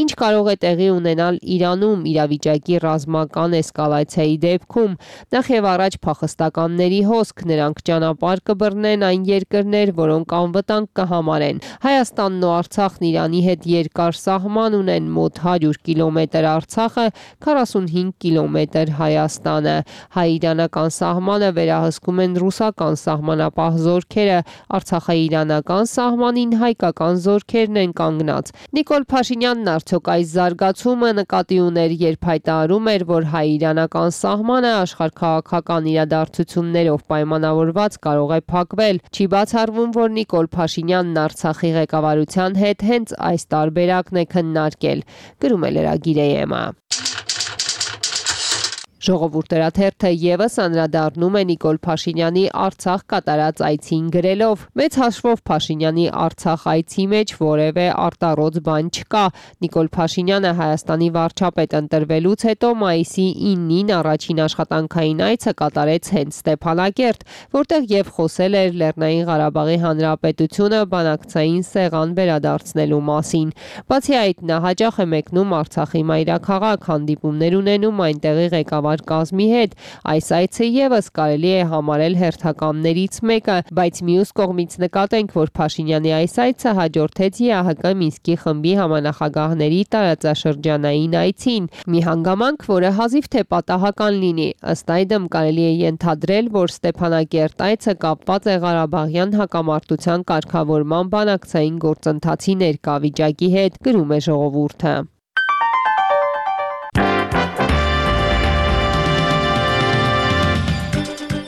O: Ինչ կարող է տեղի ունենալ Իրանում իրավիճակի ռազմական էսկալացիայի դեպքում։ Նախ եւ առաջ փախստականների հոսք, նրանք ճանապարհ կբռնեն այն երկրներ, որոնք անվտանգ կհամարեն։ Հայաստանն ու Արցախն Իրանի հետ երկար սահման ունեն, մոտ հարյուր կիլոմետր Արցախը, քառասունհինգ կիլոմետր Հայաստանը։ Հայ-իրանական սահմանը վերահսկում են ռուսական սահմանապահ զորքերը, Արցախա-իրանական սահմանին հայկական զորքերն են կանգնած։ Նիկոլ Փաշինյանն արդյոք այս զարգացումը նկատի ուներ, երբ հայտարարում էր, որ հայ-իրանական սահմանը աշխարհաքաղաքական իրադարձություններով պայմանավորված կարող է փակվել։ Չի բացառվում, որ Նիկոլ Փաշինյանն Արցախի ղեկավարության հետ հենց այս տարբերակն է քննարկել, գրում է լրագիրը։ Ժողովուրդ հրաթերթը ևս անդրադառնում է Նիկոլ Փաշինյանի Արցախ կատարած այցին գրելով. Մեծ հաշվով Փաշինյանի Արցախ այցի մեջ որևէ արտառոց բան չկա։ Նիկոլ Փաշինյանը Հայաստանի վարչապետ ընտրվելուց հետո մայիսի իննին առաջին աշխատանքային այցը կատարեց հենց Ստեփանակերտ, որտեղ եւ խոսել էր Լեռնային Ղարաբաղի Հանրապետությունը բանակցային սեղան վերադարձնելու մասին։ Բացի այդ, նա հաճախ է մեկնում Արցախի մայրաքաղաք, հանդիպումներ ունենում այնտեղի ղեկավար կազմի հետ։ Այս այցը ևս կարելի է համարել հերթականներից մեկը, բայց մյուս կողմից նկատենք, որ Փաշինյանի այս այցը հաջորդեց ԵԱՀԿ Մինսկի խմբի համանախագահների տարածաշրջանային այցին, մի հանգամանք, որը հազիվ թե պատահական լինի։ Ըստ այդմ կարելի է ենթադրել, որ Ստեփանակերտ այցը կապված է Ղարաբաղյան հակամարտության կարգավորման բանակցային գործընթացի ներկա վիճակի հետ, գրում է Ժողովուրդը։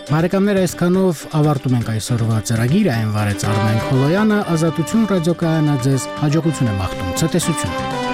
A: Բարեկամներ, այսքանով ավարտում ենք այսօրվա ծրագիրը, այն վարեց Արմեն Խոլոյանը, Ազատություն ռադիոկայանը ձեզ հաջողություն է մաղթում, ցտեսություն։